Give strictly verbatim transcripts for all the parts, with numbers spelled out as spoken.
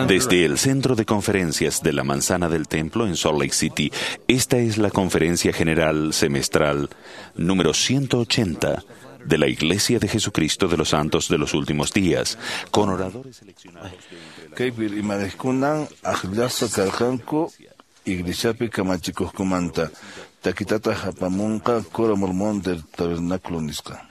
Desde el Centro de Conferencias de la Manzana del Templo en Salt Lake City, esta es la Conferencia General Semestral número ciento ochenta de la Iglesia de Jesucristo de los Santos de los Últimos Días, con oradores seleccionados de Kaypi rimarikunan aqllasqa karqanku iglesiapi kamachikuqkumanta takitataq apamunqa Coro Mormón del Tabernáculo nisqa.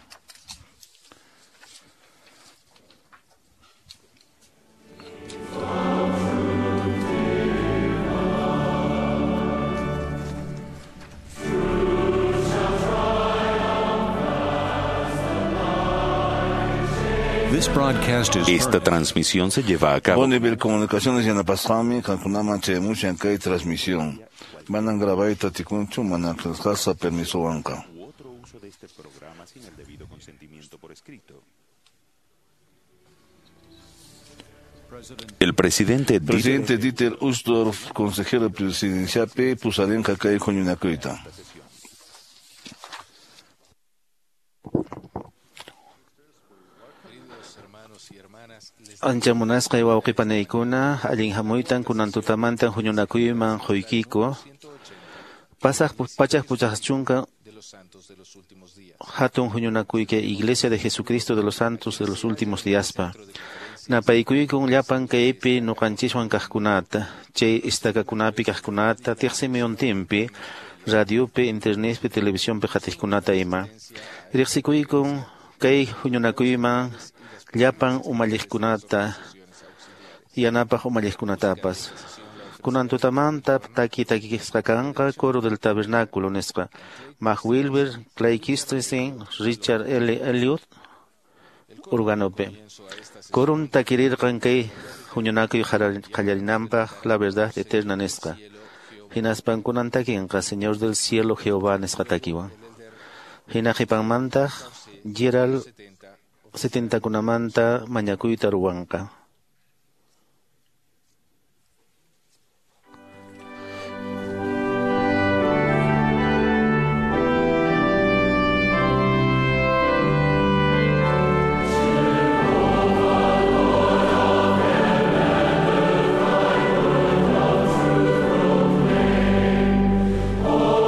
Esta transmisión se lleva a cabo. Bonneville Comunicaciones yanapasqanmi qamkunaman chayamushan kay transmisión. Manan grabayta atikunchu mana qillqasqa permisowanqa. U otro uso de este programa sin el debido consentimiento por escrito. El presidente Presidente Dieter Uchtdorf, consejero presidencial P, pusarinqa kay huñunakuyta. Ancha munasqay wawqipanaykuna allin hamuytan kunan tutamantan huñunakuyman quykiku pasaq pachak puchaq chunka hatun huñunakuyka Iglesia de Jesucristo de los Santos de los Últimos Díaspa napaykuykum llapan kaypi ñuqanchiswan kaqkunata chay istakakunapi kaqkunata tiqsimiyuntinpi radiopi internetpi televisionpi qatiqkunata ima riqsikuykum kay huñunakuyman llapan umalliqkunata yanapaq umalliqkunatapas kunan tutamanta taki takisqa kanqa Coro del Tabernáculo nisqa Mac Wilber, Clay Christensen, Richard L. Elliot organopi Corum takirirqan kay huñunakuy qallarinanpaq La Verdad Eterna nisqa hinaspan kunan takinqa Señor del Cielo Jehová nisqa takiwan hina qhipanmantaq Gerald setentakunamanta mañakuyta ruwanqa. Oh,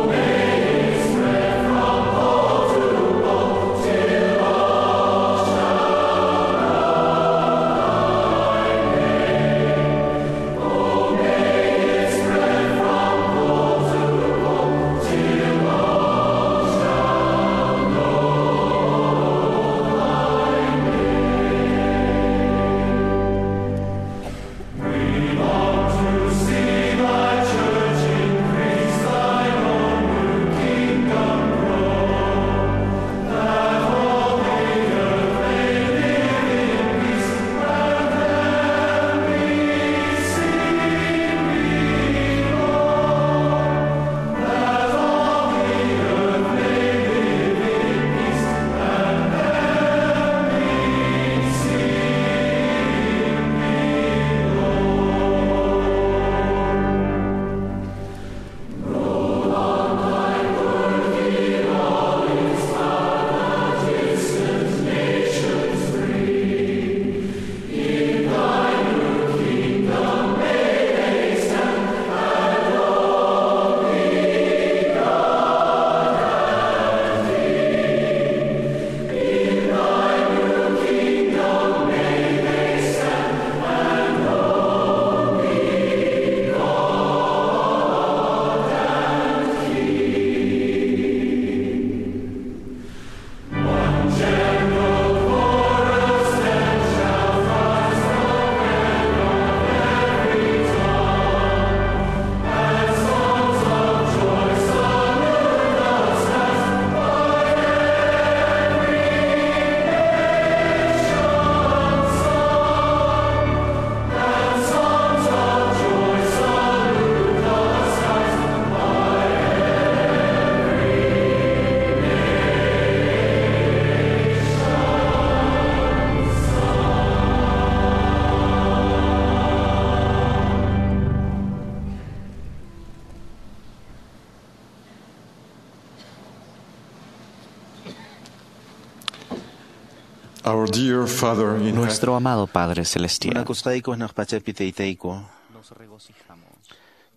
Our dear Father in heaven, Nuestro amado Padre Celestial, Munakusqayku hanaq pachapi taytayku. nos regocijamos,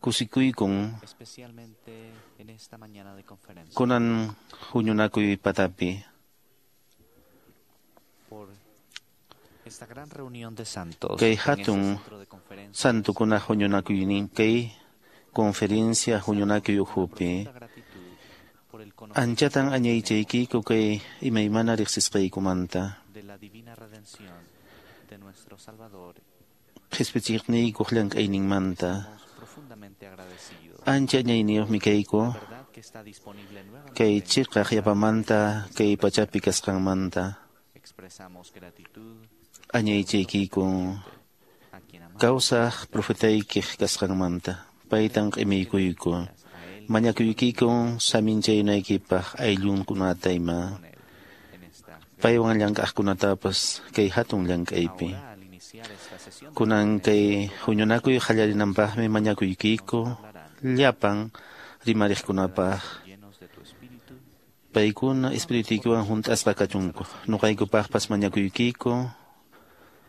Kusikuykun especialmente en esta mañana de conferencia, kunan huñunakuy patapi por esta gran reunión de santos Kay en este hatun centro de conferencias. santukuna huñunakuynin kay conferencia huñunakuy ukhupi. Profunda gratitud por el conocimiento Anchatan añaychaykiku kay imaymana riqsisqaykumanta. de la divina redención de nuestro Salvador. Qhispichiqniykuq llank'ayninmanta. Estamos profundamente agradecidos. Ancha añayniyuqmi kayku La verdad que está disponible nuevamente kay en chiqaq yapamanta kay pachapi kasqanmanta. Expresamos gratitud Añaychaykiku a quien amamos kawsaq profetaykiq kasqanmanta. Paytan q'imiykuyku. a él Mañakuykiku saminchaynaykipaq ayllunkunata ima. con él en esta Paywan llank'aqkunatapas kay hatun llank'aypi. Ahora, al iniciar esta sesión de Kunan kay huñunakuy qallarinampaqmi mañakuykiku llapan rimariqkunapaq llenos de tu espíritu, paykuna espirituykiwan hunt'asqa kachunku. Nuqaykupaqpas mañakuykiku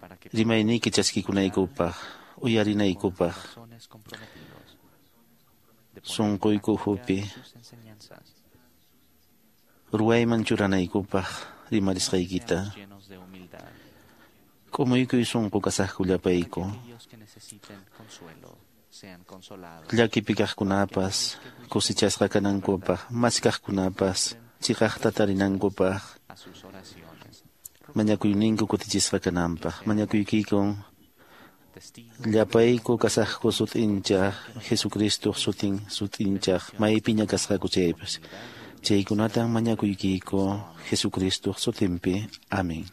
para que rimayniyki chaskikunaykupaq, uyarinaykupaq, corazones comprometidos de poner en sunquyku práctica ukhupi sus enseñanzas, ruwayman churanaykupaq rimarisqaykita. seamos llenos de humildad, K'umuykuy sunqu kasaqku para que llapayku. aquellos que necesiten consuelo sean consolados, Llakipi kaqkunapas kusichasqa kanankupaq, maskaqkunapas chiqaqta tarinankupaq, a sus oraciones, mañakuyninku kutichisqa kananpaq. Mañakuykikun testigos llapayku kasaqku sut'inchaq, Jesucristo sutin sut'inchaq, maypiña kasqaku chaypas. Chaykunatan mañakuykiku Jesucristo sutinpi. Amén.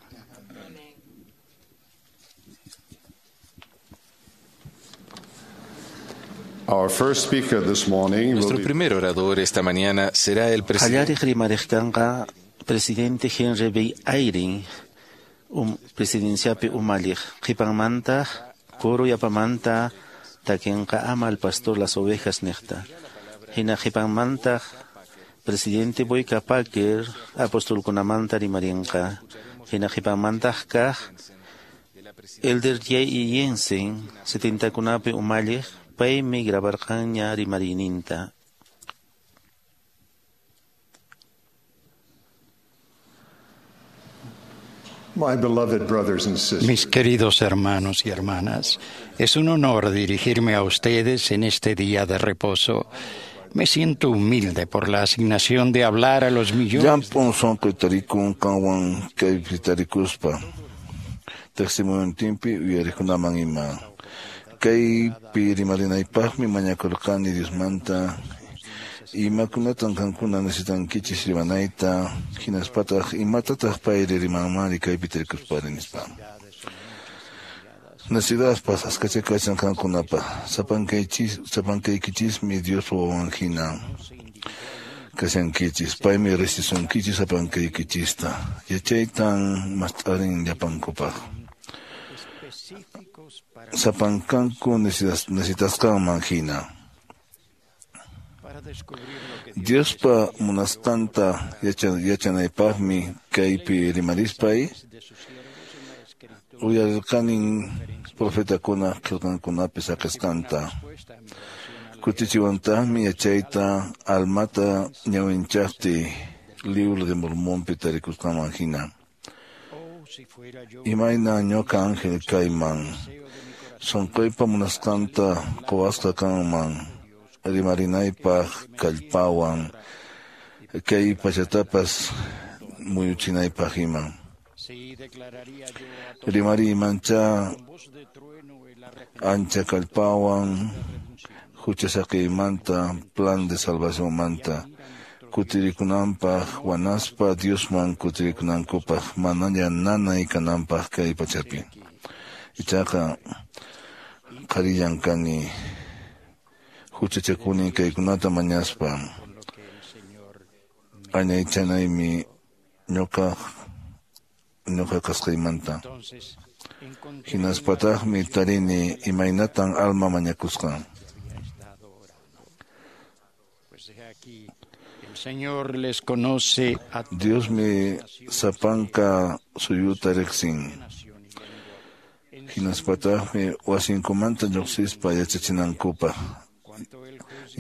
Our first speaker this morning will Nuestro be primer orador esta mañana será el presidente Qallariq rimariq kanqa presidente Henry B. Eyring, um, presidenciapi umalliq. Qhipanmantaq coro yapamanta takinqa ama al pastor las ovejas niqta. Hina qhipanmantaq presidente Boyka Packer apostolkunamanta rimarinqa. Hina qhipanmantaq kaq Elder J. E. Jensen setentakunapi umalliq paymi grabarqanña rimariyninta. my beloved brothers and sisters. Mis queridos hermanos y hermanas, es un honor dirigirme a ustedes en este día de reposo. Me siento humilde por la asignación de hablar a los millones Llamp'un sunquy tarikun qanwan kaypi tarikuspa tiqsimuyuntinpi uyariqkunaman ima. Kaypi rimarinaypaqmi mañakurqani Diosmanta imakunatan qankuna necesitankichis rimanayta hinaspataq imatataq payri rimanmanri kaypi tarikuspari nispa. Necesidadpas askacha kachan qankunapaq sapankaychis sapankaykichismi Diospa wawan hina kashankichis paymi riqsisunkichis sapankaykichista yachaytan mast'arin llapankupaq sapankanku necesitas- necesitasqanman hina. Diospa munasqanta yacha- yachanaypaqmi kaypi rimarispay uyarirqanin profetakuna qillqankunapi saqisqanta. Kutichiwantaqmi yachayta almata ñawinchaqti Libro de Mormonpi tarikusqanman hina. Imayna ñuqa ángel kayman sunquypa munasqanta quwasqa kanman rimarinaypaq kallpawan kay pachatapas muyuchinaypaq ima. Rimariymancha ancha kallpawan huchasaqiymanta plan de salvacionmanta kutirikunanpaq wanaspa Diosman kutirikunankupaq manaña nanay kananpaq kay pachapi. Ichaqa qharillan kani huchachakuni kaykunata mañaspa añaychanaymi ñuqa ñuqa kasqaymanta. Hinaspataqmi tarini imaynatan alma mañakusqan. Señor les conoce a Diosmi sapanka suyuta riqsin. Hinaspataqmi wasinkumanta lluqsispa yachachinankupaq.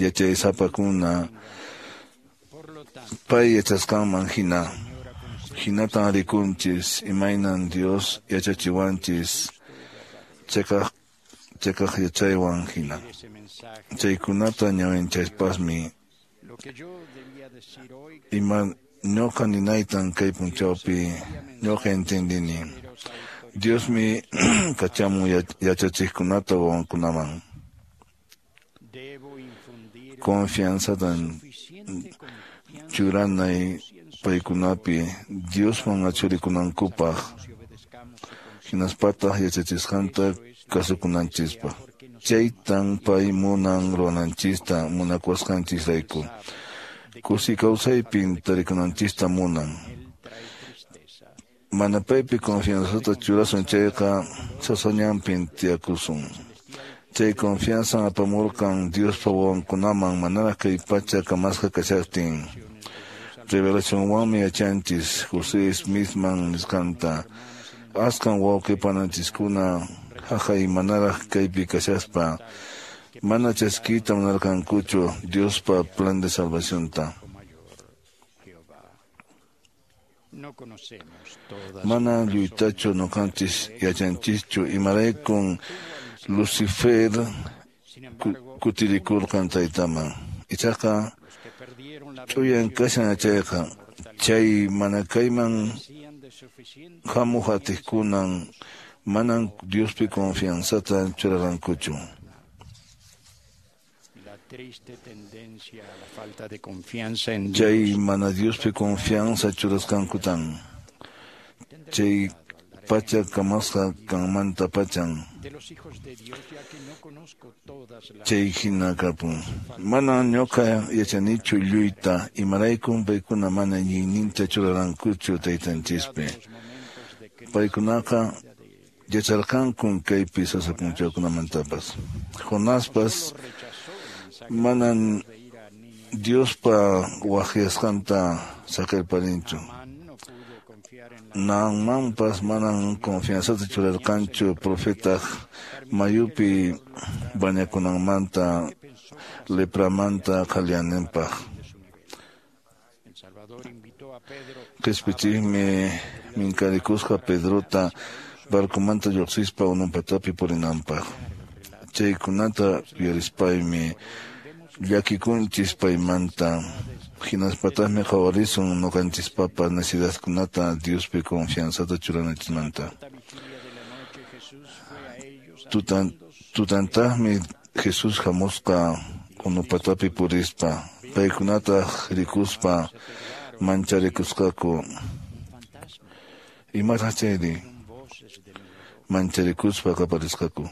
Yachaysapakuna pay yachasqanman hina. Hinatan rikunchis imaynan Dios yachachiwanchis cheqaq cheqaq yachaywan hina. Chaykunata ñawinchaypasmi ima ñuqa ninaytan kay punchawpi ñuqa entendini. Diosmi kachamun yachachiqkunata wawankunaman. Confianzatan churanay paykunapi Diosman achurikunankupaq hinaspataq yachachisqanta kasukunanchispaq. Chaytan pay munan ruwananchista munakuwasqanchisrayku. Kusi kawsaypin tarikunanchista munan. Mana paypi confianzata churasun chayqa sasañanpin tiyakusun. Chay confianzan apamurqan Diospa wawankunaman manaraq kay pacha kamasqa kashaqtin. Revelacionwanmi yachanchis José Smithman nisqanta. Askan wawqi pananchiskuna haqay manaraq kaypi kashaspa mana chaskiyta munarqankuchu Diospa plan de salvacionta. Mana lluytachu ñuqanchis yachanchischu imaraykun Lucifer kutirikurqan taytaman. Ichaqa ch'uyan kashan yachayqa chay mana kayman hamuq atiqkunan manan Diospi confianzata churarqankuchu. Chay mana Diospi confianza churasqankutan. Chay pacha kamasqa kanmanta pachan. Chay hina kapun. Mana ñuqa yachanichu lluyta imaraykun paykuna mana iñiyninta churarankuchu taytanchispi. Paykunaqa yacharqankun kaypi sasa punchawkunamantapas. Jonaspas manan Diospa waqyasqanta saqirparinchu. Naamanpas manan confianzata churarqanchu profetaq mayupi bañakunanmanta lepramanta qhaliyananpaq. Qispichikmi minkarikusqa Pedrota barcomanta lluqsispa ununpatapi purinanpaq. Chaykunata yuyarispaymi llakikunchis paymanta. Hinaspataqmi qhawarisun ñuqanchispapa necesidadkunata Diospi confianzata churananchismanta. Tutan, tutantaqmi Jesús hamusqa unupatapi purispa, paykunataq rikuspa mancharikusqaku. Imataq chayri? Mancharikuspa qaparisqaku.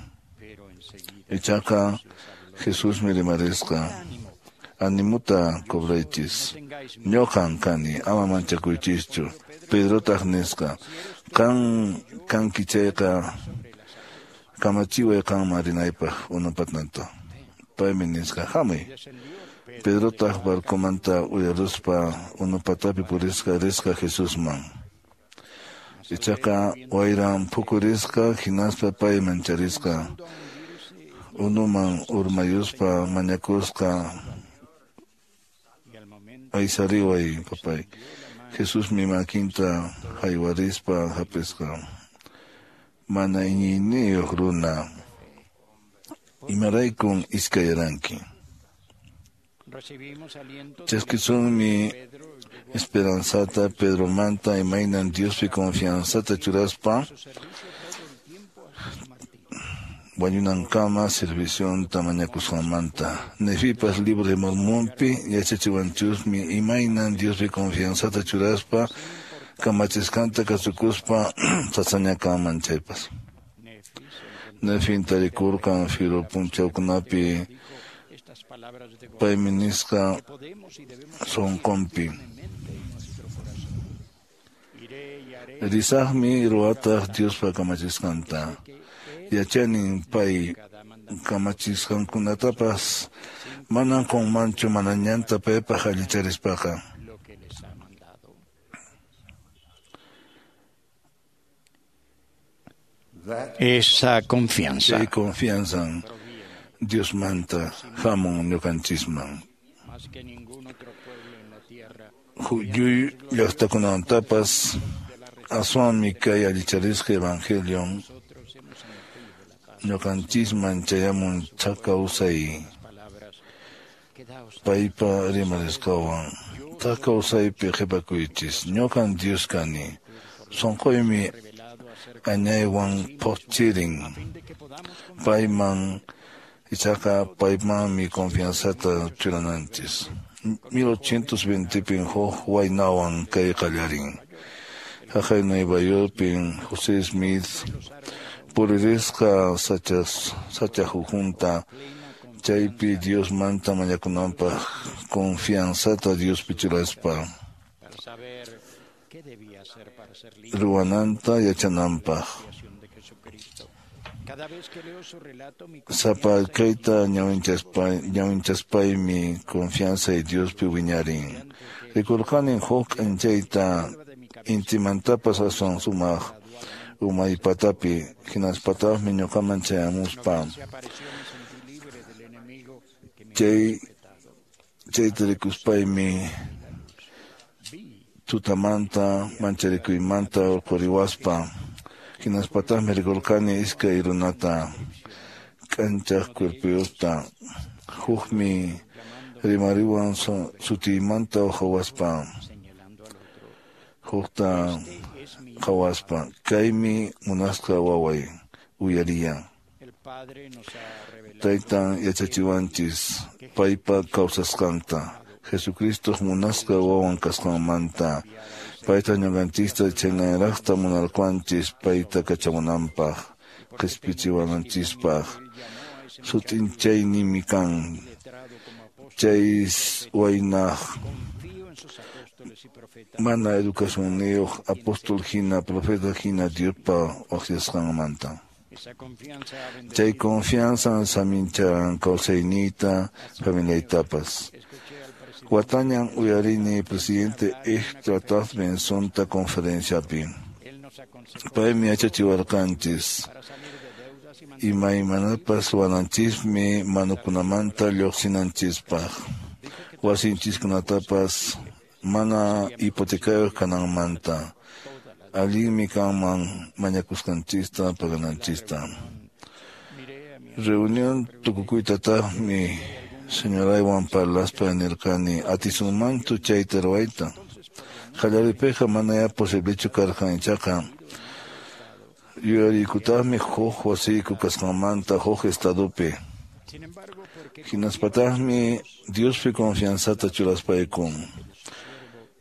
Ichaqa Jesusmi rimarisqa. Animuta cobraychis. Ñuqan kani, ama manchakuychischu. Pedrotaq nisqa, qan kanki chayqa kamachiway qanman rinaypaq unupatnanta. Paymi nisqa, hamuy. Pedrotaq barcomanta uyaruspa unupatapi purisqa risqa Jesusman. Ichaqa wayran phukurisqa hinaspa pay mancharisqa. Unuman urmayuspa mañakusqa aysariway papay. Jesusmi makinta haywarispa hapisqa. Mana iñiyniyuq runa, imaraykun iskayaranki. Chaskisunmi esperanzata Pedromanta imaynan Diospi confianzata churaspa wañunankama servicionta mañakusqanmanta. Nefipas libro de Mormonpi yachachiwanchusmi imaynan Diospi confianzata churaspa kamachisqanta kasukuspa sasañakanman chaypas. Nefin tarikurqan firu punchawkunapi paymi nisqa sunqunpi. Risaqmi ruwataq Diospa kamachisqanta. Yachanin pay kamachisqankunatapas Manan qunmanchu mana ñanta paypaq allicharispaqa. Esa confianza Chay confianzan Diosmanta hamun ñuqanchisman. Huyuy llaqtakunamantapas aswanmi kay allicharisqa evangelion ñuqanchisman chayamun thak kawsay paypa rimarisqanwan. Thak kawsaypi qhipakuychis. Ñuqan Dios kani. Sunquymi añaywan phuqchirin. Payman ichaqa paymanmi confianzata churananchis. mil ochocientos veintepin huk waynawan kay qallarin. Haqay Nueva Yorkpin José Smith puririsqa sachas sacha ukhunta chaypi Diosmanta mañakunanpaq confianzata Diospi churaspa ruwananta yachananpaq. Sapa kayta ñawinchaspaymi confianza y Diospi wiñarin. Rikurqanin huk k'anchayta intimantapas aswan sumaq umay patapi hinaspataqmi ñuqaman chayamuspa chay chayta rikuspaymi tutamanta mancharikuymanta urquriwaspa hinaspataqmi rikurqani iskay runata k'anchaq cuerpuyuqta. Hukmi rimariwan sutiymanta qhawaspa hukta qhawaspa kaymi munasqa waway uyariya. Taytan yachachiwanchis paypa kawsasqanta Jesucristoq munasqa wawan kasqanmanta payta ñuqanchista chhaynaraqta munarqanchis payta kachamunanpaq qispichiwananchispaq. Sut'inchaynimi kan chay waynaq mana educacionniyuq apóstol hina profeta hina Diospa waqyasqanmanta. Chay confianza saminchan kawsayniyta familiaytapas. Watañan uyarini presidente Ezra Taft Bensonta conferenciapi. Paymi yachachiwarqanchis imaymanapas ruwananchismi manukunamanta lluqsinanchispaq. Wasinchiskunatapas mana hipotecayuq kananmanta. Allinmi kanman mañakusqanchista pagananchista. Reunión tukukuytataqmi señoraywan parlaspa nirqani atisunmanchu chayta ruwayta. Qallariypiqa manaya posiblechu karqan ichaqa yuyariykutaqmi huk wasiyku kasqanmanta huk estadopi. Hinaspataqmi Diospi confianzata churaspayku.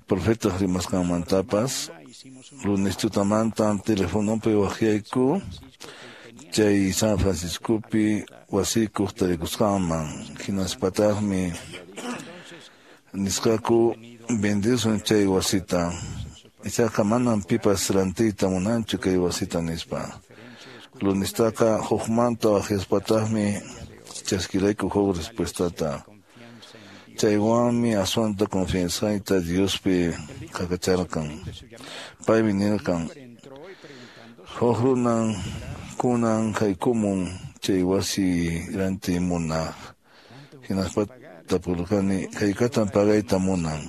Profetaq rimasqanmantapas lunes tutamantan telefonopi waqyayku chay San Franciscopi wasiykuq tarikusqanman. Hinaspataqmi nisqaku vendesun chay wasita. Ichaqa manam pipas rantiyta munanchu kay wasita nispa. Lunestaqa hukmanta waqyaspataqmi chaskirayku huk respuestata. Chaywanmi aswanta confianzayta Diospi qaqacharqan. Paymi nirqan huk runan kunan haykumun chay wasi rantiy munaq. Hinaspa tapurqani haykatan pagayta munan.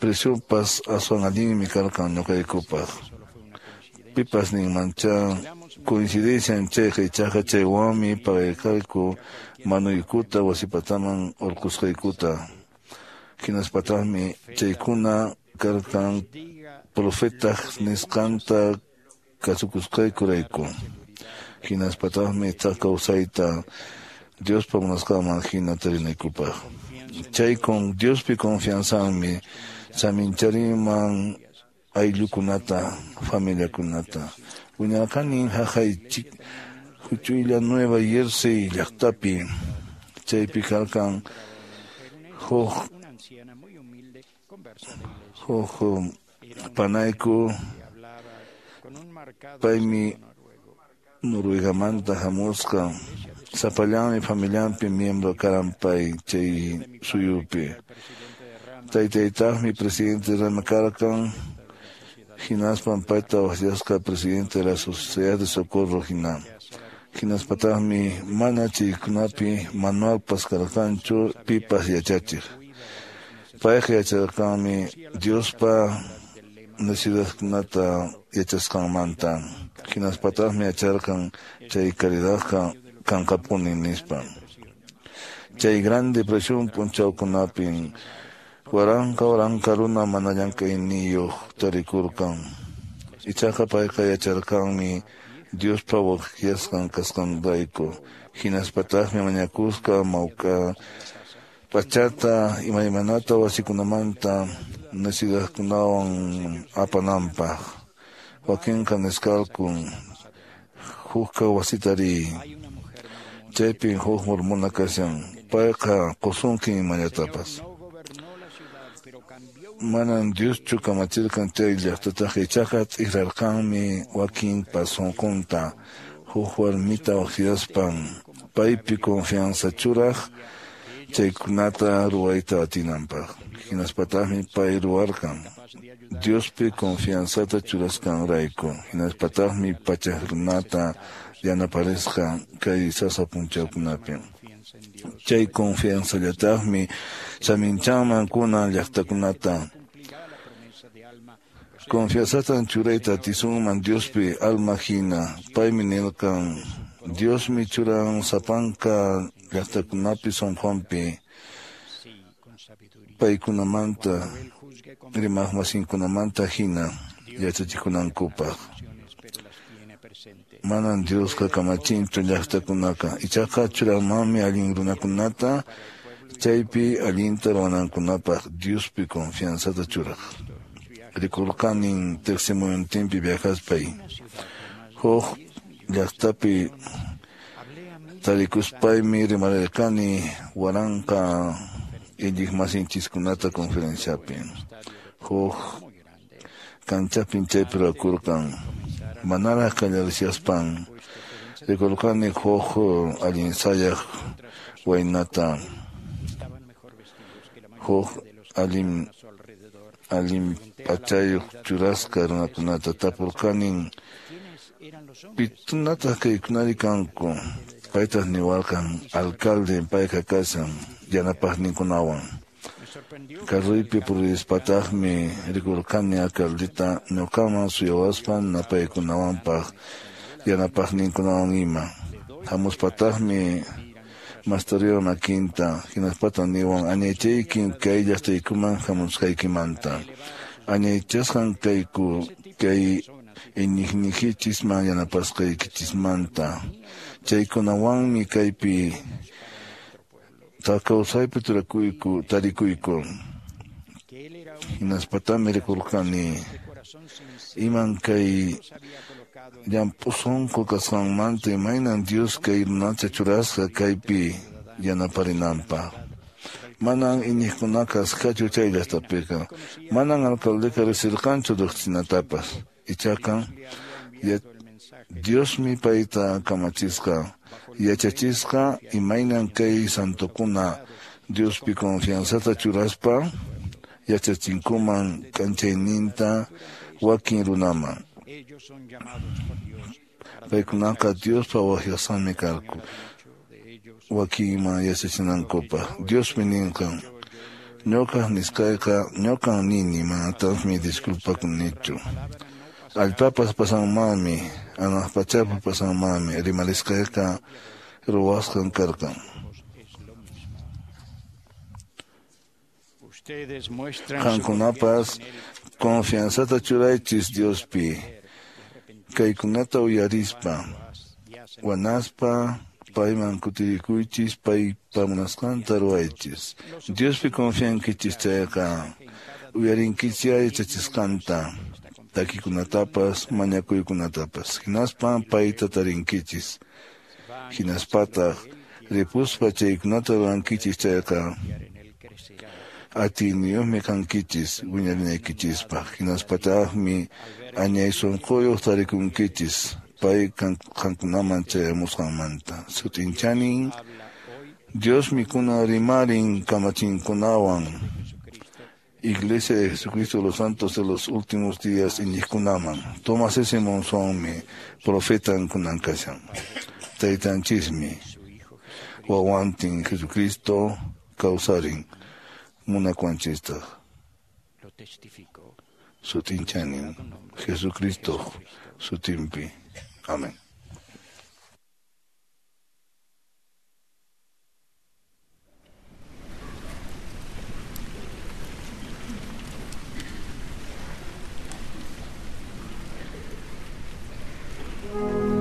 Preciopas aswan allinmi karqan ñuqaykupaq. Pipas ninmancha coincidencia chayqa ichaqa chaywanmi pagayqayku manuykuta wasipataman urqusqaykuta. Hinaspataqmi chaykuna karqan profetaq nisqanta kasukusqaykurayku. Hinaspataqmi thak kawsayta Diospa munasqanman hina tarinaykupaq. Chay con Diospi confianzanmi saminchariman ayllukunata familiakunata. Wiñarqanin haqay huch'uylla Nueva Jersey llaqtapi. Chaypi karqan huk huk panayku paymi Noruegamanta hamusqa. Sapallanmi familianpi miembro karan pay chay suyupi. Taytaytaqmi presidente rama karqan, hinaspan payta waqyasqa presidente de la Sociedad de Socorro hina. Hinaspataqmi mana chaykunapi manualpas karqanchu pipas yachachiq. Payqa yacharqanmi Diospa necesidadkunata yachasqanmanta. Hinaspataqmi yacharqan chay caridadqa kanqapuni nispa. Chay Gran Depresión p'unchawkunapin waranqa waranqa runa mana llank'ayniyuq tarikurqan. Ichaqa payqa yacharqanmi Diospa waqyasqan kasqanrayku. Hinaspataqmi mañakusqa mawk'a p'achata imaymanata wasikunamanta necesidadkunawan apananpaq. Wakinqa nisqalku hukqa wasita riy. Chaypin huk mormona kashan. Payqa qusunkin imallatapas. Manan Dioschu kamachirqan chay llaqtataqa, ichaqa t'ikrarqanmi wakinpa sunqunta huk warmita waqyaspan paypi confianza churaq chaykunata ruwayta atinanpaq. Hinaspataqmi pay ruwarqan Diospi confianzata churasqanrayku. Hinaspataqmi pachak runata yanaparisqa kay sasa p'unchawkunapi. Chay confianzallataqmi saminchanman kunan llaqtakunata. Confianzatan churayta atisunman Diospi alma hina. Paymi nirqan Diosmi churan sapanka llaqtakunapi sunqunpi paykunamanta rimaqmasinkunamanta hina yachachikunankupaq. Manan Diosqa kamachinchu llaqtakunaqa, ichaqa churanmanmi allin runakunata chaypi allinta ruwanankunapaq Diospi confianzata churaq. Rikurqanin tiqsimuyuntinpi viajaspay huk llaqtapi tarikuspaymi rimarirqani waranqa iñiqmasinchiskunata conferenciapi. Huk kanchapin chaypi ruwakurqan. Manaraq qallarishaspan rikurqani huk allin sayaq waynata, huk allin allin p'achayuq churasqa runakunata. Tapurqanin pikunataq kaykunari kanku. Paytaq niwarqan alcalde payqa kashan yanapaqninkunawan. Carruypi purispataqmi rikurqani alcaldeta ñuqaman suyawaspan napaykunawanpaq yanapaqninkunawan ima. Hamuspataqmi mastariwan makinta hinaspata niwan añaychaykin kay llaqtaykuman hamusqaykimanta. Añaychasqan kayku kay iñiqniykichisman yanapasqaykichismanta. Chaykunawanmi kaypi kawsaypi turakuyku tarikuyku. Hinaspatami rikurqani iman kay llamp'u sunqu kasqanmanta imaynan Dios kay runata churasqa kaypi yanaparinanpaq. Manan iñiqkunaqa asqachu chay llaqtapiqa. Manan alcaldeqa riqsirqanchu riqsinatapas. Ichaqa Diosmi payta kamachisqa yachachisqa imaynan kay santokuna Diospi confianzata churaspa yachachinkuman k'anchayninta wakin runaman. Paykunaqa Diospa waqyasqanmi karqu wakinman yachachinankupaq. Diosmi ninqan ñuqaq nisqayqa ñuqan nini, manataqmi disculpakunichu. Allpapas pasanmanmi, hanaq pachapas pasanmanmi, rimarisqayqa ruwasqan karqan. Qamkunapas confianzata churaychis Diospi, kaykunata uyarispa, wanaspa payman kutirikuychis, paypa munasqanta ruwaychis. Diospi confiankichis chayqa uyarinkichis yachachisqanta, takikunatapas, mañakuykunatapas. Hinaspan payta tarinkichis. Hinaspataq ripuspa chaykunata ruwankichis chayqa atiyniyuqmi kankichis wiñarinaykichispaq. Hinaspataqmi añay sunquyuq tarikunkichis Pay qankunaman chayamusqanmanta. Sut'inchanin Diosmi kunan rimarin kamachinkunawan. Iglesia de Jesucristo de los Santos de los Últimos Días iñiqkunaman. Thomas S. Monsonmi profetan kunan kashan. Taytanchismi wawantin Jesucristo kawsarin munakuwanchistaq. Sut'inchanin Jesucristo sutinpi. Amén. Thank you.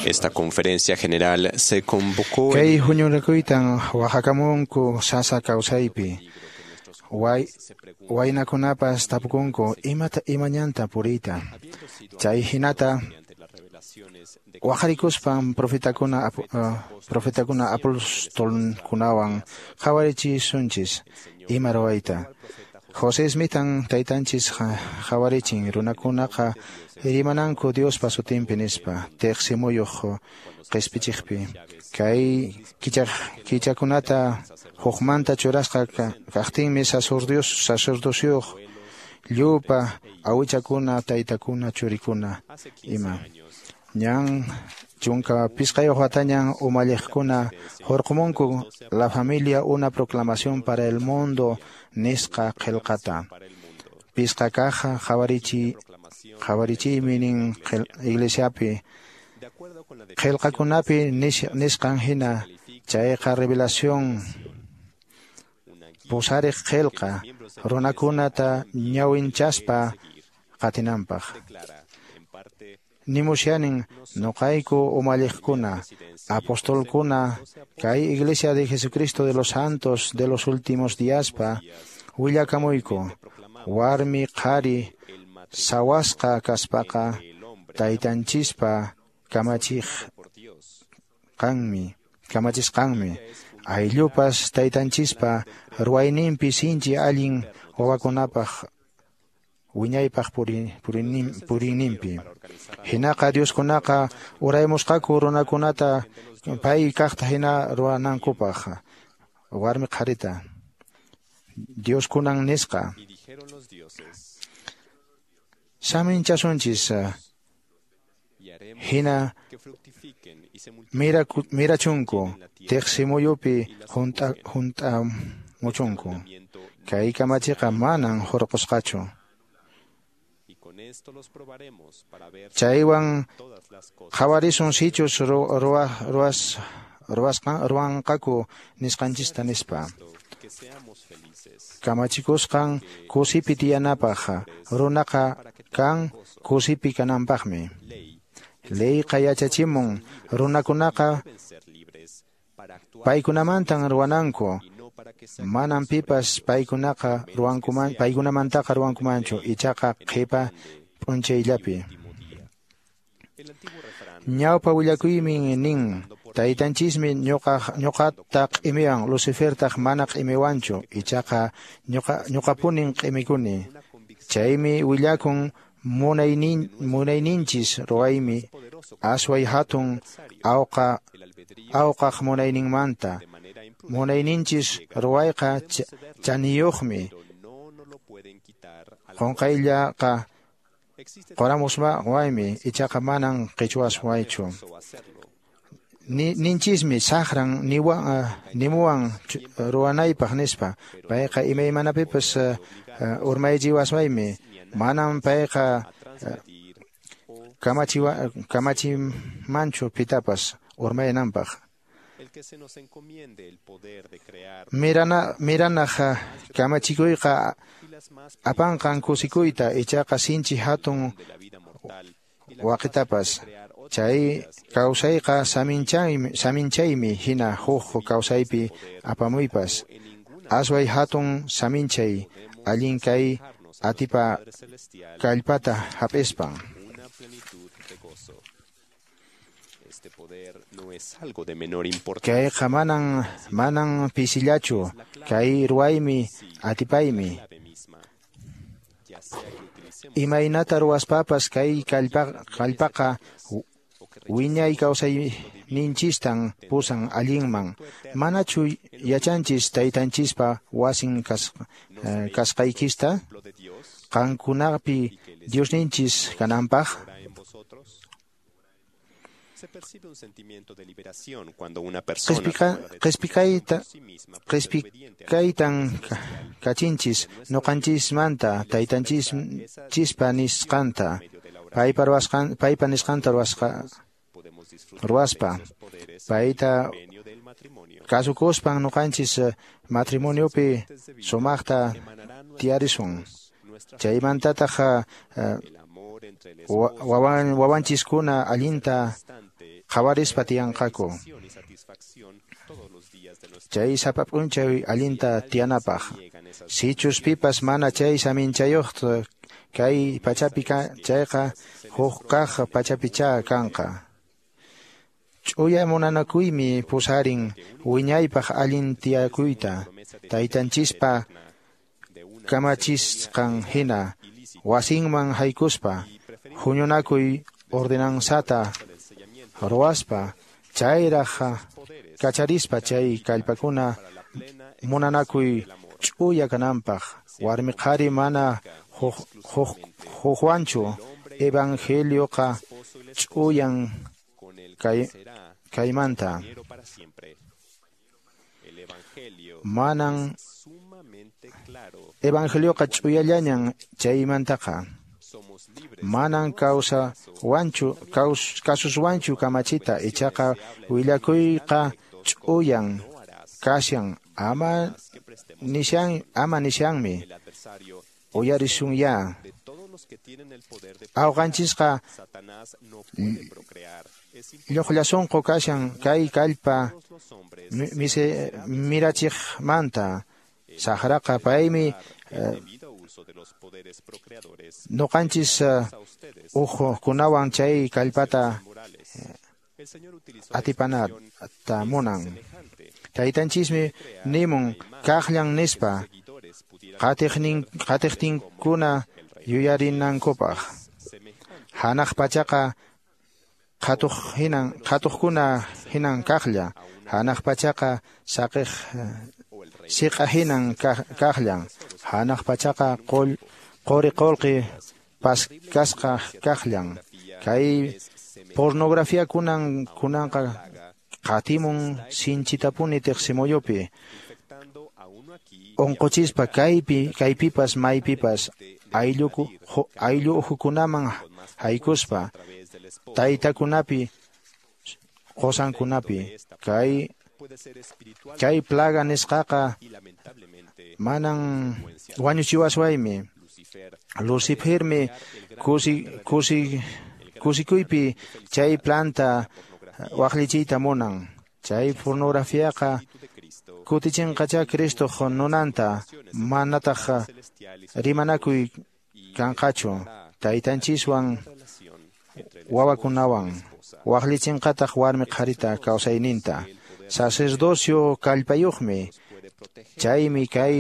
Esta conferencia general se convocó Kay huñunakuytan waqhakamunku sasa kawsaypi. Way, waynakunapas tapukunku imata imañanta puriyta. Chay hinata waqharikuspan profetakuna apu, uh, profetakuna apostolkunawan qhawarichisunchis ima ruwayta. José Smithan taytanchis qhawarichin runakunaqa rimananku Diospa sutinpi nispa tiqsimuyuq qispichiqpi. Kay kichakunata hukmanta churasqa kaqtinmi sacerdocio sacerdocioq llupa awichakuna taytakuna churikuna ima. Ñan chunka pisqayuq watañan umalliqkuna hurqumunku La familia una proclamación para el mundo nisqa qillqata. Pisqa kaq qhawarichi qhawarichiymi nin iglesiapi qillqakunapi nisqan hina chayqa revelación pusariq qillqa runakunata ñawinchaspa qatinanpaq. Nimusyanin noqayku umalliqkuna apostolkuna kay Iglesia de Jesucristo de los Santos de los últimos díaspa willakamuyku warmi qhari sawasqa kaspaqa taytanchispa kamachiqanmi kamachisqanmi ayllupas taytanchispa ruwayninpi sinchi allin wawakunapaq wiñaypaq puriyninpi. Hinaqa Dioskunaqa uraymusqaku runakunata pay kaqta hina ruwanankupaq warmi qharita. Dioskunan nisqa saminchasunchis hina mirachunku tiqsimuyupi hunt'a hunt'amuchunku. Kay kamachiqa manan hurqusqachu. Chaywan qhawarisun sichus ruwas ruwasqan ruwanqaku nisqanchista nispa. Kamachikusqan kusipi tiyanapaq runaqa kan kusipi kananpaqmi. Leyqa yachachimun runakunaqa paykunamantan ruwananku. Manan pipas paykunaqa ruwankuman paykunamantaqa ruwankumanchu ichaqa qhipa p'unchayllapi. Ñawpa willakuymi nin taytanchismi ñuqa ñuqata q'imiwan Lucifertaq mana q'imiwanchu ichaqa ñuqa ñuqapunin q'imikuni. Chaymi willakun munaynin munayninchis ruwaymi asway hatun awqa awqaq munayninmanta. Munayninchis ruwayqa chaniyuqmi qunqayllaqa qoramusma waymi ichaqa manan qichwaswaychu. Ninchismi saqran niwan nimuwan ruwanaypaq nispa payqa imaymanapipas urmaychiwaswaymi manan payqa kamachiwa kamachimanchu pitapas urmaynanpaq. Mirana miranaq kamachikuyqa apanqan kusikuyta ichaqa sinchi hatun waqitapas. Chay kawsayqa saminchaymi saminchaymi hina huk kawsaypi apamuypas. Asway hatun saminchay allin kay atipa kallpata hap'ispan. Kayqa manan manan pisillachu kay ruwaymi atipaymi. Imaynata ruwaspapas kay kallpa kallpaqa wiñay kawsayninchistan pusan allinman. Manachu yachanchis taytanchispa wasin kas, kasqaykista qankunapi Diosninchis kananpaq. Qispikaytan kachinchis noqanchismanta taytanchispa nisqanta paypa ruwasqan paypa nisqanta ruwasqa ruwaspa payta kasukuspan noqanchis matrimoniopi sumaqta tiyarisun. Chaymantataq Wawan, wawanchiskuna allinta qhawarispa tiyanqaku. Chay sapa p'unchay allinta tiyanapaq. Sichus pipas mana chay saminchayuqta kay pachapi chayqa huk kaq pachapicha kanqa. Ch'uya munanakuymi pusarin wiñaypaq allin tiyakuyta taytanchispa kamachisqan hina wasinman haykuspa huñunakuy ordenanzata ruwaspa chayraq kacharispa chay kallpakuna munanakuy ch'uya kananpaq warmi qhari mana hukwanchu evangelioqa ch'uyan kay kaymanta manan evangelioqa ch'uyallañan chaymantaqa manan kawsa wanchu kaus kasuswanchu kamachita ichaqa willakuyqa ch'uyan kashan ama nishan ama nishanmi uyarisun ya awqanchisqa lluqllasunqu kashan kay kallpa mise mirachiqmanta saqraqa paymi nuqanchis uqkunawan chay kallpata atipanata munan taytanchismi nimun kaqllan nispa qatiqnin qatiqtinkuna yuyarinankupaq hanaq pachaqa qhatuq hinan qhatuqkuna hinan kaqlla hanaq pachaqa saqiq siqa hinan kaqllan hanaq pachaqa qul quri qullqi paskasqa kaqllan kay pornografía kunan kunanqa qatimun sinchitapuni tiqsimuyupi unquchispa kaypi kaypipas maypipas aylluku ayllu uhukunaman haykuspa taytakunapi qusankunapi kay chay plaga nisqaqa manan wañuchiwaswaymi Lucifermi kusi kusi kusikuypi chay planta waqlichiyta munan chay pornografiaqa kutichinqacha Cristoq nunanta manataq rimanakuy kanqachu taytanchiswan wawakunawan waqlichinqataq warmi qharita kawsayninta sacerdocio kallpayuqmi chaymi kay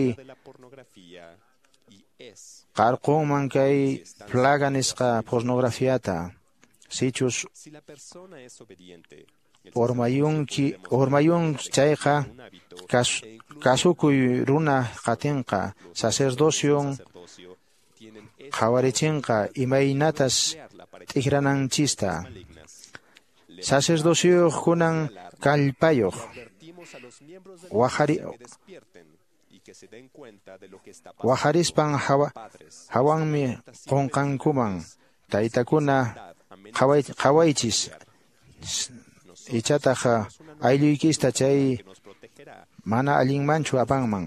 qarqunman kay plaga nisqa pornografiata sichus urmayunki urmayun chayqa kas, kasukuy runa qatinqa sacerdocion qhawarichinqa imaynatas t'ikrananchista sacerdocioyuq kunan kallpayuq waqari waqarispan hawa hawanmi qunqankuman taytakuna qhaway qhawaychis ichataq aylluykista chay mana allinmanchu apanman.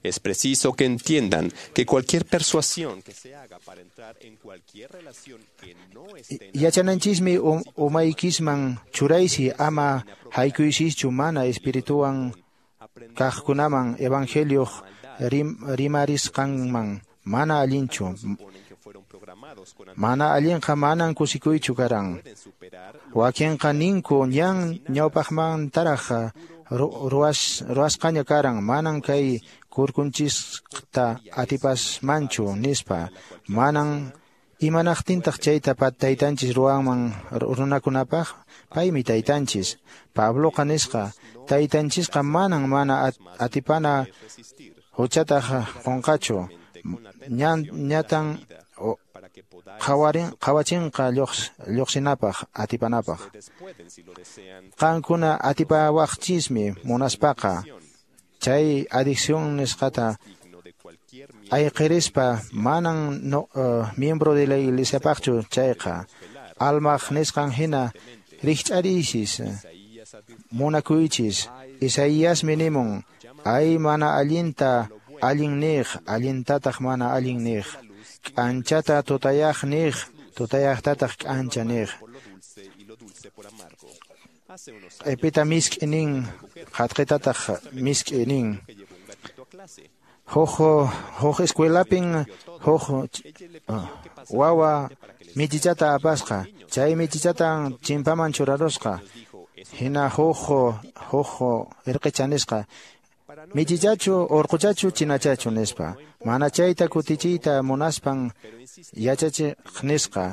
Es preciso que entiendan que cualquier persuasión que se haga para entrar en cualquier relación que no esté en Yachananchismi umaykisman churaysi ama haykuysichu mana espirituwan kaqkunaman evangelioq rim, rimarisqanman mana allinchu mana allinqa manan kusikuychu karan wakinqa ninku ñan ñawpaqmantaraq ruwas ruwasqaña karan manan kay kurkunchista atipasmanchu nispa manan imanaqtintaq chayta taytanchis ruwanman runakunapaq paymi taytanchis Pabloqa nisqa taytanchisqa manan mana atipana huchataq qunqachu ñan ñatan qhawarin qhawachinqa lluqsinapaq atipanapaq qankuna atipawaqchismi munaspaqa chay adicción nisqata ayqirispa manan no, uh, miembro de la iglesiapaqchu chayqa almaq nisqan hina rikch'ariysis munakuychis Isaíasmi nimun ay mana allinta Allin niq, allintataq mana allin niq. K'anchata tutayaq niq, tutayaqtataq k'ancha niq. Q'ipita misk'i nin, qhatqitataq misk'i nin. Huk huk escuelapin huk wawa michichata apasqa, chay michichatan chimpaman churarusqa. Hina huk huk irqicha nisqa, michichachu urquchachu chinachachu nispa. Mana chayta kutichiyta munaspan yachachiq nisqa.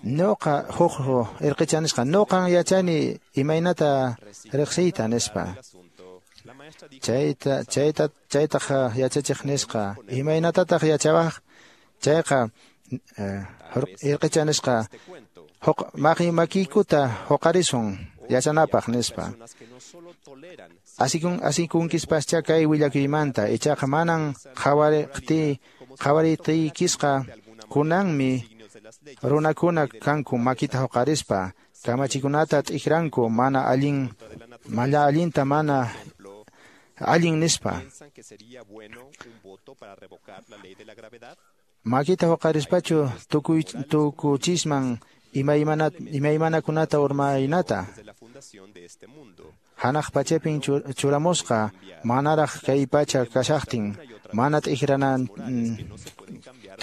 Nuqa huk irqicha nisqa, nuqan yachani imaynata riqsiyta nispa. Chayta chayta chaytaq yachachiq nisqa, imaynatataq yachawaq? Chayqa irqicha nisqa, maki makiykuta huqarisun yachanapaq nispa. Asikun asikunkispascha kay willakuymanta, ichaqa manan qhawariqti qhawariytiykisqa kunanmi runakuna kanku makita huqarispa kamachikunata t'ikranku mana allin malla allinta mana allin nispa. Makita huqarispachu tukuy tukuchisman imaymana imaymanakunata urmaynata. Hanaq pachapin churamusqa manaraq kay pacha kashaqtin mana t'ikranan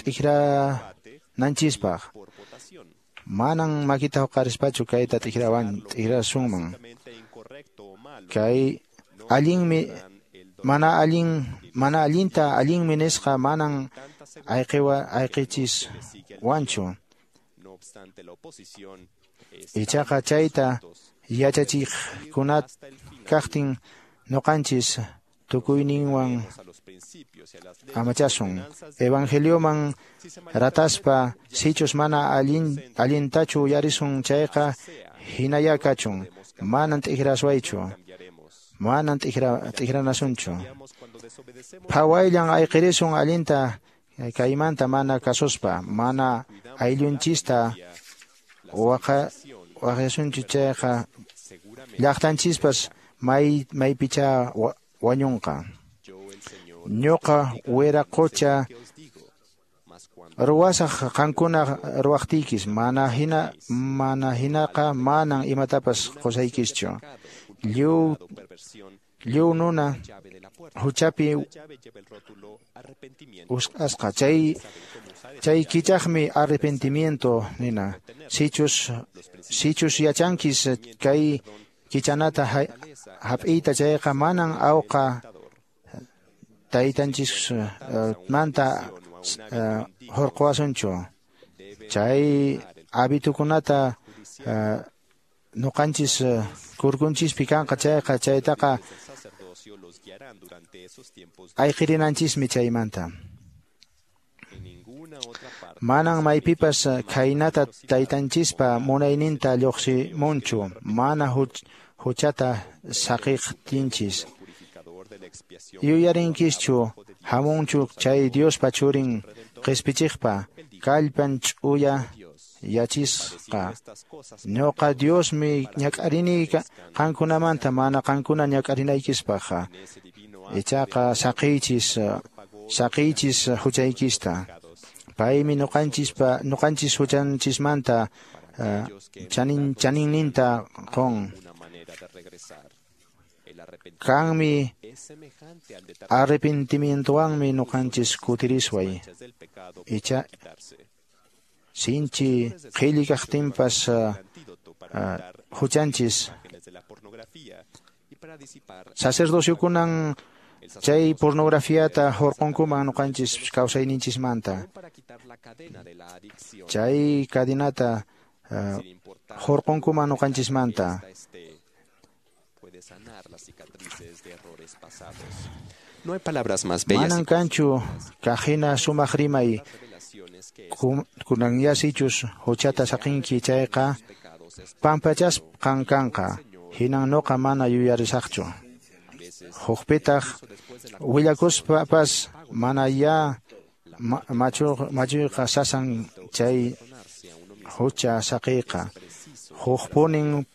t'ikrananchispaq. Manan makita huqarispachu kayta t'ikrawan t'ikrasunman. Kay allinmi mana allin mana allinta allinmi nisqa manan ayqiwa ayqichis wanchu. Ichaqa chayta yachachiqkunat kaqtin nuqanchis tukuyninwan amachasun. Evangelioman rataspa sichus mana allin allintachu uyarisun chayqa hinaya kachun. Manan t'ikraswaychu, manan t'ikra t'ikranasunchu. Phawayllan ayqirisun allinta kaymanta mana kasuspa, mana ayllunchista waqa waqyasunchu chayqa llaqtanchispas may maypicha wañunqa. Ñuqa wiraqocha ruwasaq qankuna ruwaqtiykis, mana hina mana hinaqa manan imatapas qusaykischu. Lliw lliw nuna huchapi usqasqa chay chay kichaqmi arrepentimiento nina. Sichus sichus yachankis kay kichanata hap'iyta chayqa manan awqa taytanchis manta hurquwasunchu. Chay habitukunata nuqanchis kurkunchispi kanqa chayqa chaytaqa ayqirinanchismi chaymanta. Manan maypipas khaynata taytanchispa munayninta lluqsimunchu mana huchata saqiqtinchis. Yuyarinkischu hamunchu chay Diospa churin qispichiqpa kallpan ch'uya yachisqa. Ñuqa Diosmi ñak'arini qankunamanta mana qankuna ñak'arinaykispaqqa. Ichaqa saqiychis saqiychis huchaykista. Paymi nuqanchispa nuqanchis huchanchismanta chanin chaninninta qun. Kanmi arrepentimientowanmi nuqanchis kutirisway. Icha sinchi qhilli kaqtinpas huchanchis. Sacerdociokunan chay pornografiata hurqunkuman nuqanchis kawsayninchismanta. Chay cadinata hurqunkuman nuqanchismanta. Manan kanchu kaqhina sumaq rimay kunan yasichus huchata saqinki chayqa pampachasqan kanqa. Hinan nuqa mana yuyarisaqchu. Hukpitaq willakuspapas mana ya machuyqa sasan chay hucha saqiyqa. Hukpunin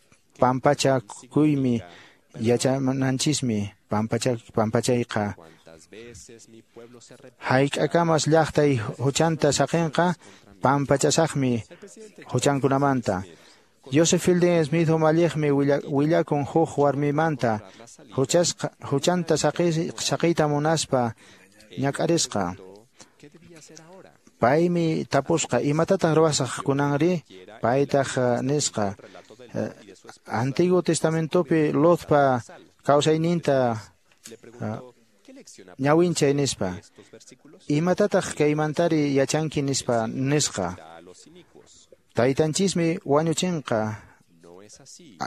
pampachakuymi yachananchismi. pampachayqa. Hayk'akamas llaqtay huchanta saqinqa, pampachasaqmi huchankunamanta. Joseph Fielding Smith umalliqmi willakun huk warmimanta huchasqa huchanta saqiyta munaspa ñak'arisqa. Paymi tapusqa, imatataq ruwasaq kunanri? Paytaq nisqa, Antiguo Testamentopi Lotpa kawsayninta ñawinchay nispa. Imatataq kaymantari yachanki nispa nisqa. Taytanchismi wañuchinqa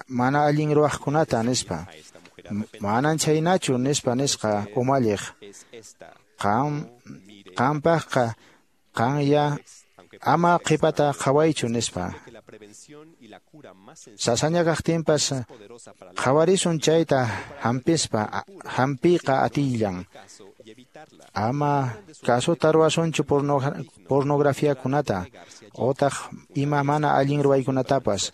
mana allin ruwaqkunata nispa. Manan chhaynachu nispa nisqa umalliq. Qam qampaqqa qanya ama qhipata qhawaychu nispa. Sasaña kaqtinpas qhawarisun chayta hampispa hampiqa atillan. Ama kasuta ruwasunchu pornografiakunata otaq ima mana allin ruwaykunatapas.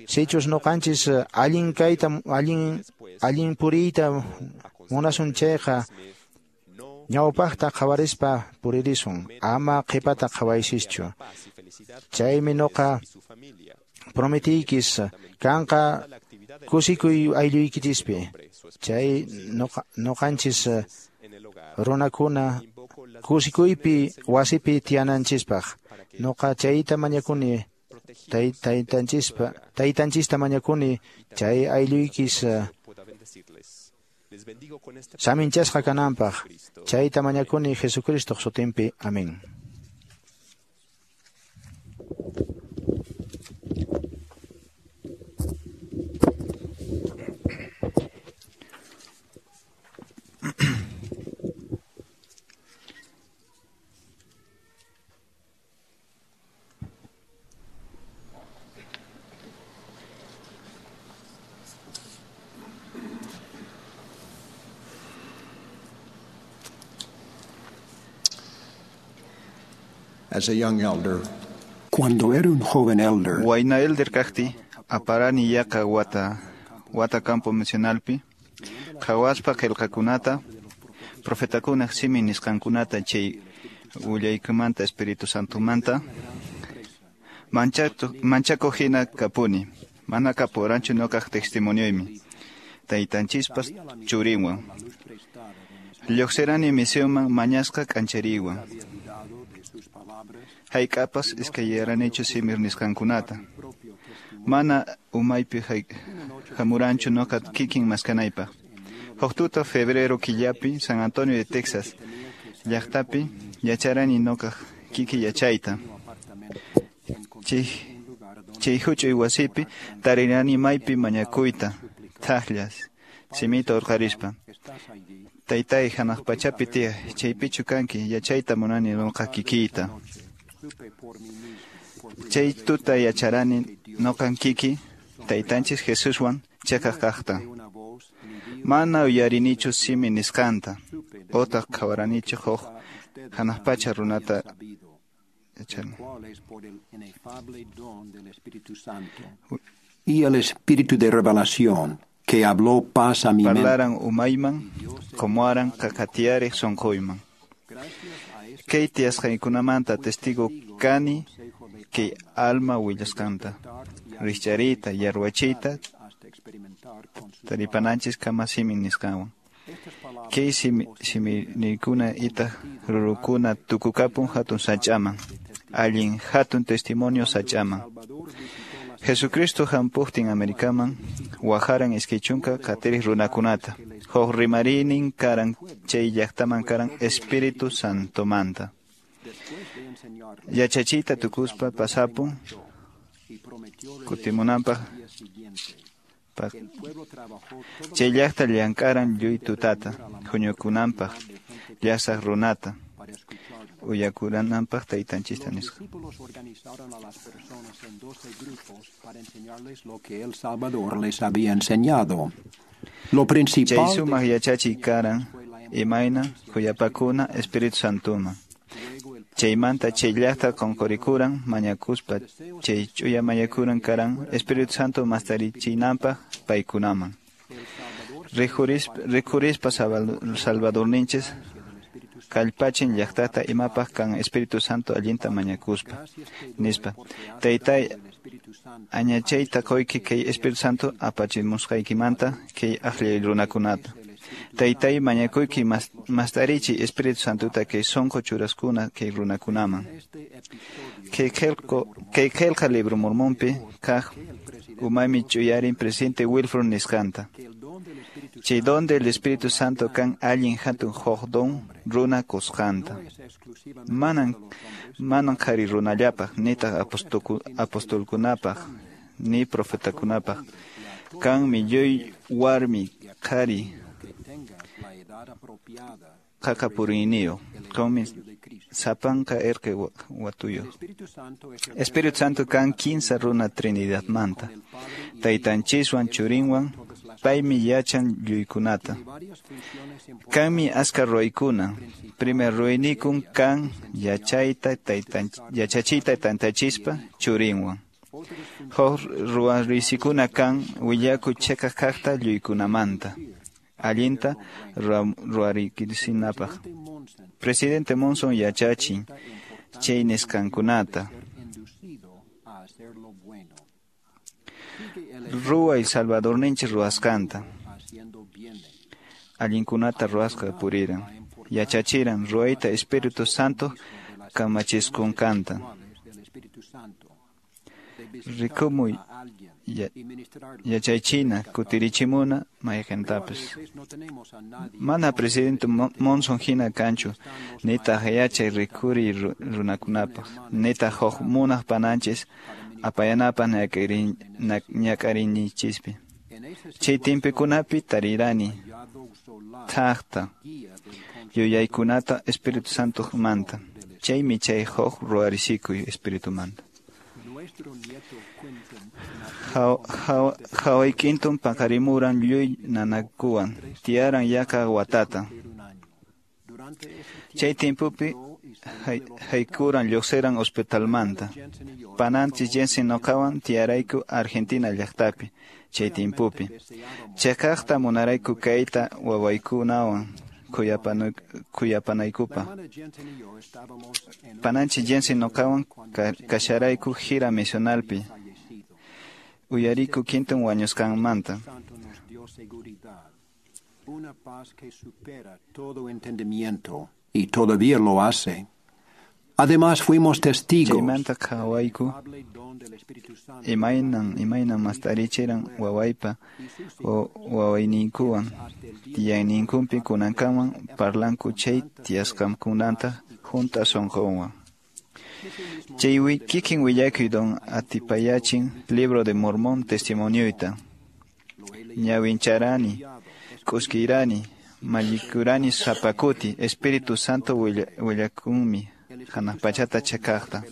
Sichus nuqanchis allin kayta allin allin puriyta munasun chayqa ñawpaqta qhawarispa puririsun, ama qhipata qhawaysischu. Chaymi nuqa prometiykis kanqa kusikuy aylluykichispi. Chay nuqanchis runakuna kusikuypi wasipi tiyananchispaq. Nuqa chayta mañakuni taytanchispa taytanchista mañakuni chay aylluykis saminchasqa kananpaq. Chayta mañakuni Jesucristoq sutinpi. Amén. As a young elder, Cuando era un joven elder, Wayna elder kaqti aparani yaqa wata wata campo misionalpi qhawaspa qillqakunata profetakunaq simi nisqankunata chay willaykumanta Espíritu Santomanta manchakuq hina kapuni mana kapuranchu nuqaq testimonioymi taytanchispas churinwan lluqsirani misionman mañasqa k'anchariwan hayk'apas iskayrayaranichu simir nisqankunata mana umaypi hamuranchu nuqa kikin maskanaypaq. Huk tuta febrero killapi San Antonio de Texas llaqtapi yacharani nuqaq kiki yachayta. Chay huch'uy wasipi tarirani maypi mañakuyta thaqllas simita urqarispa. Taytay hanaq pachapi tiyaq chaypichu kanki yachayta munani nuqa kikiyta. Chay tuta yacharani nuqan kiki taytanchis Jesuswan chakaq kaqta. Mana uyarinichu simi nisqanta otaq qhawaranichu huk hanaq pacha runata yacharani. Y el espíritu de revelación que habló paz a mi mente. Parlaran umayman qumuaran qaqatiyariq sunquyman. Kay tiyasqaykunamanta testigo kani kay alma willasqanta rikchariyta yarwachiyta taripananchis kama simi nisqanwan. Kay siminikuna itaq rurukuna tukukapun hatun sach'aman allin hatun testimonio sach'aman. Jesucristo hampuqtin Americaman waharan iskay chunka qatiriq runakunata huk rimariynin karan chay llaqtaman karan Espíritu Santomanta. Yachachiyta tukuspa pasapun kutimunanpaq chay llaqta llank'aran lluy tutata huñukunanpaq llasaq runata uyakurananpaq taytanchista nisqa. Chay sumaq yachachiy karan imayna khuyapakuna Espíritu Santoman. Chaymanta chay llaqta qunqurikuran mañakuspa chay ch'uya mañakuran karan Espíritu Santo mastarichinanpaq paykunaman. Rikurispa Salvadorninchis kallpachin llaqtata imapaq kan Espíritu Santo allinta mañakuspa nispa. Taytay añachayta qoyki kay Espíritu Santo apachimusqaykimanta kay aqllay runakunata. Taytay mañakuyki mastarichi Espíritu Santota kay sonqo churaskuna kay runakunaman. Kay kay qillqa libro Mormonpi kaq umaymi chuyarin presidente Wilford nisqanta. Chay donde el Espíritu Santo kan allin hatun huk don runa kusqanta. Manan manan qhari runallapaq nitaq apostolkunapaq ni profetakunapaq. Kanmi lluy warmi qhari qaqapuriyniyuq. Qanmi sapanka erqe watuyuq. Espíritu Santo kan kinsa runa Trinidadmanta. Taytanchiswan churinwan paymi yachan lluykunata. Kanmi aska ruwaykuna. Primer ruwaynikun kan yachayta taytan yachachiyta tantachispa churinwan. Huk ruwarisikuna kan willakuy chiqaq kaqta lluykunamanta. Allinta ruwariksinapaq. Presidente Monson yachachin chay nisqankunata. Ruway Salvadorninchis ruwasqanta. Allinkunata ruwasqa puriran. Yachachiran ruwayta Espíritu Santo kamachiskunkanta. Rikumuy yachaychina kutirichimuna mayqintapis. Mana presidente Monson hina kanchu nitaq yachay rikuriy runakunapaq nitaq huk munaq pananchis apayanapaq ñak'ariyninchispi. Chay timpikunapi tarirani thaqta yuyaykunata Espíritu Santomanta. Chaymi chay huk ruwarisikuy Espiritumanta. Hawaykintum paqarimuran lluy nanakuwan tiyaran yaqa watata. Chay timpupi haykuran lluqsiran hospitalmanta. Pananchis Jensen noqawan tiyarayku Argentina llaqtapi chay timpupi. Chiqaqta munarayku kayta wawaykunawan khuyapanaykupaq. Pananchis Jensen noqawan kasharayku gira misionalpi. Uyariku Quinton wañusqanmanta. Una paz que supera todo entendimiento y todavía lo hace. Además fuimos testigos. Chaymanta qhawayku imaynan imaynan mastarichiran wawaypa wawayninkuwan tiyayninkupi kunankaman parlanku chay tiyasqankunata hunt'a sunqunwan. Chay kikin willakuy don atipayachin Libro de Mormón testimonioyta. Ñawincharani, k'uskirani, mallikurani sapakuti, Espíritu Santo willakunmi hanaq pachata chakaqta.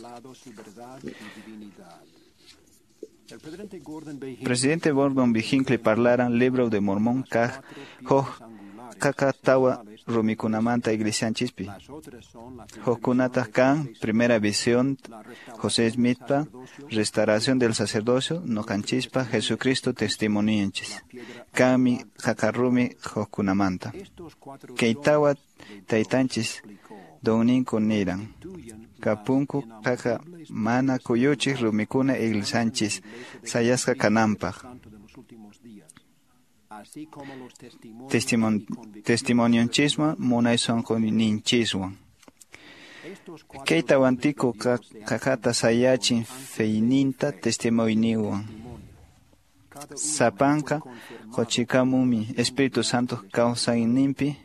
Presidente Gordon B. Hinckley parlaran Libro de Mormón kaq huk qaqa tawa rumikunamanta iglesianchispi. Hukkunataq kan primera visión José Smithpa, restauración del sacerdocio noqanchispa Jesucristo testimonionchis. Kanmi qaqa rumi hukkunamanta. Kay tawa taytanchis donninku niran. Kapunku qaqa mana kuyuchiq rumikuna iglesianchis sayasqa kananpaq. Testimon, testimonionchiswan munay sunquyninchiswan. Kay tawantiku qaqata sayachin feyninta testimoniowan. Sapanka quchikamumi Espíritu Santo kawsayninpi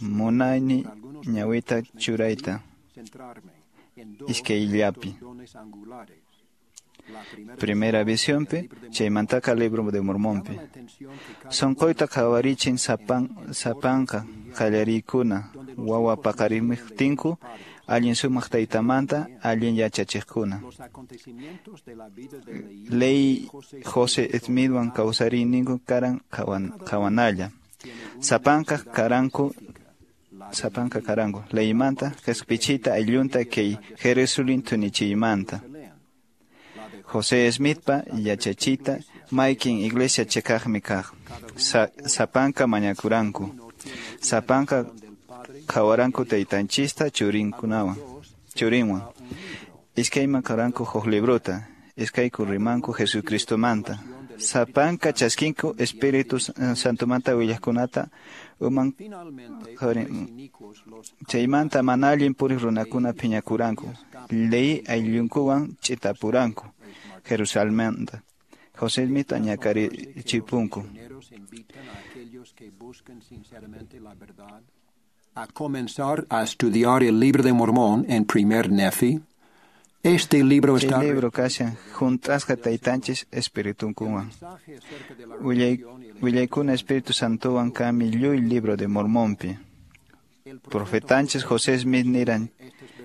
munayni ñawita churayta iskayllapi. Primera visiónpi chaymantaka Libro de Mormonpi. Sunquyta qhawarichin sapan sapanka qallarikuna wawa paqarimuqtinku allin sumaq taytamanta allin yachachiqkuna. Ley José Smithwan kawsariyninku karan qhawanalla. Sapanka karanku sapanka karanku leymanta qhispichita ayllunta kay Jerusalén tunichiymanta. José Smithpa yachachita Maykin iglesia chekaqmi kaq. Sa, sapanka mañakuranku. Sapanka qhawaranku taytanchista churinkunawan. Churinwan. Iskayman qaranku huk librota. Iskayku rimanku Jesucristomanta. Sapanka chaskinku Espíritu Santomanta willaqkunata uman chaymanta mana allin puriq runakuna phiñakuranku. Lehi ayllunkuwan ch'itapuranku Jerusalenmanta. José Smith ñakarichipunku. A comenzar a estudiar el libro de Mormón en primer Nefi. Este libro está Chay libro kashan hunt'asqa taytanchis espiritunkuwan. Willay, willaykuna Espíritu Santowan kanmi lluy libro de Mormonpi. Profetanchis José Smith niran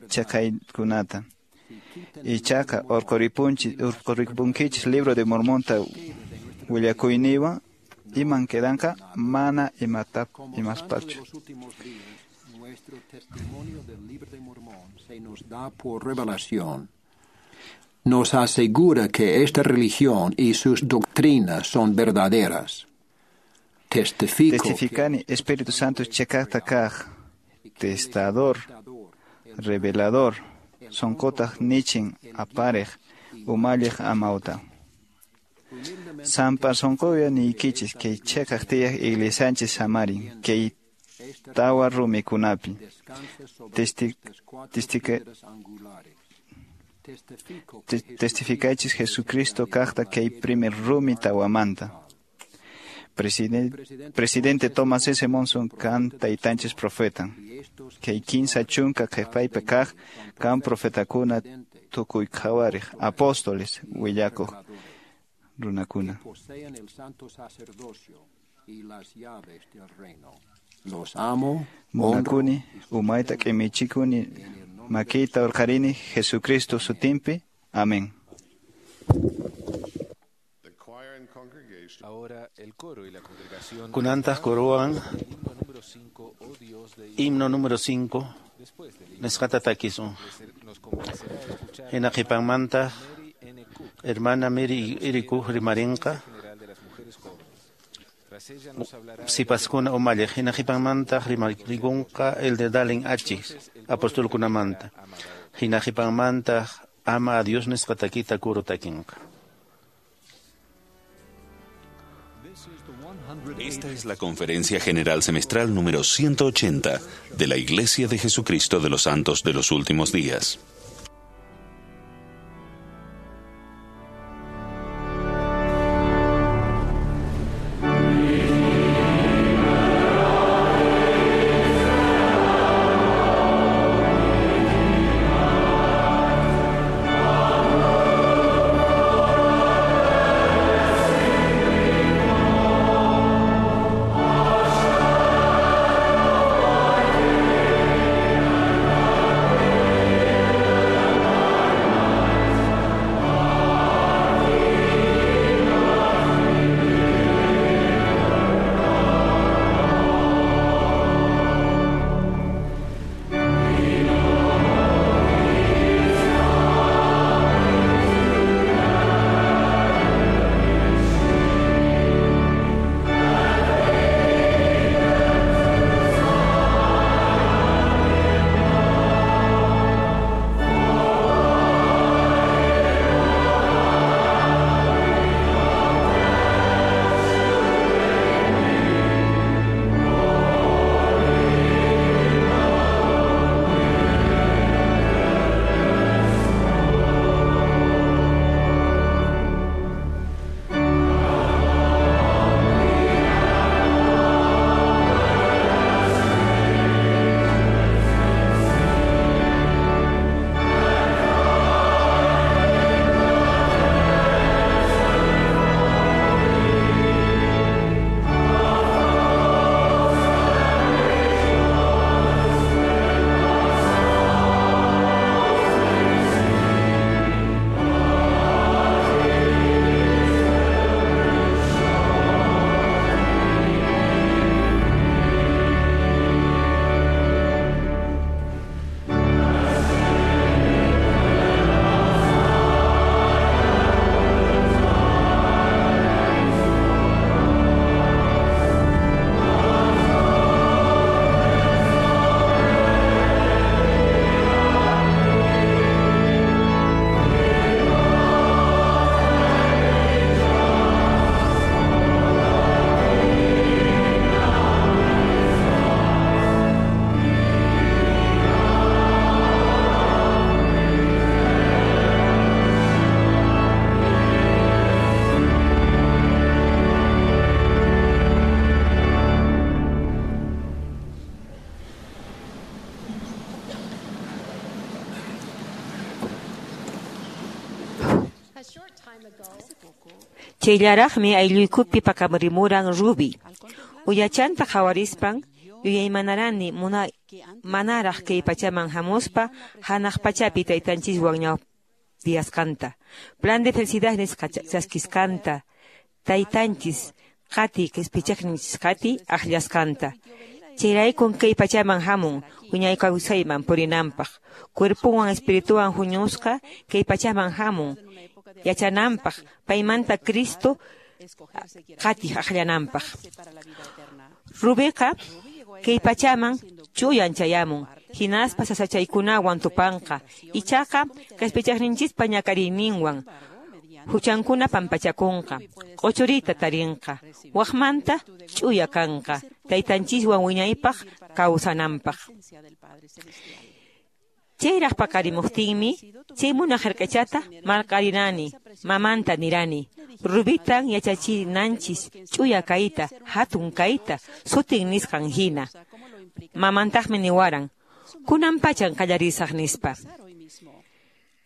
chaqaykunata. Ichaqa urquripunchis urquripunkichis libro de Mormonta willakuyniwan iman quedanqa mana imata imaspachu. Nuestro testimonio del libro de Mormón se nos da por revelación. Nos asegura que esta religión y sus doctrinas son verdaderas. Testifico Testificani Espíritu Santo chekaqta kaq, testador, revelador, sonqotaq nichin aparej, umalliq amawta. Sampa sonqoya niykichis kay cheqaq tiyaq iglesianchis samarin, kay tawa rumikunapi. Testi, testica, te, testificaychis Jesucristo kaqta kay primer rumi tawamanta. Presidente, presidente Thomas S. Monson kan taytanchis profeta. Kay kinsa chunka qhipaypi kaq kan profetakuna tukuy qhawariq apóstoles willakuq runakuna. Poseen el santo sacerdocio y las llaves del reino. Los amo, Munakuni, umayta q'imichikuni, makiyta urqarini, Jesucristo sutinpi. Amén. Kunantaq corowan himno número cinco nisqata takisun. Hina qhipanmanta hermana Mary Iriku rimarinqa sipaskuna umalliq. Hina qhipanmanta rimarikunqa el de Dalen Achis apostolkunamanta. Hina qhipanmanta ama a Dios nisqa takita coro takinqa. Esta es la Conferencia General Semestral número ciento ochenta de la Iglesia de Jesucristo de los Santos de los Últimos Días. Amen. Chayllaraqmi aylluykupi paqarimuran Ruby. Uyachanta qhawarispan yuyaymanarani muna manaraq kay pachaman hamuspa hanaq pachapi taytanchiswan ñawpiyasqanta. Plan de felicidad nisqa chaskisqanta, taytanchis qati qispichaqninchis qati akllasqanta. Chayraykun kay pachaman hamun wiñay kawsayman purinanpaq, cuerpuwan espirituwan huñusqa kay pachaman hamun yachananpaq, paymanta Cristo qatiq akllananpaq. Rubiqa kay pachaman chuyan chayamun, hinaspa sasachaykunawan tupanqa, ichaqa qispichaqninchispa ñak'ariyninwan huchankuna pampachakunqa, q'uchurita tarinqa, waqmanta ch'uya kanqa, taytanchiswan wiñaypaq kawsananpaq. Chayraq paqarimuqtinmi chay munaq hark'achata marq'arinani, mamanta nirani, Rubitan yachachinanchis ch'uya kayta, hatun kayta, sutin nisqan hina. Mamantaqmi niwaran, kunan pachan qallarisaq nispa.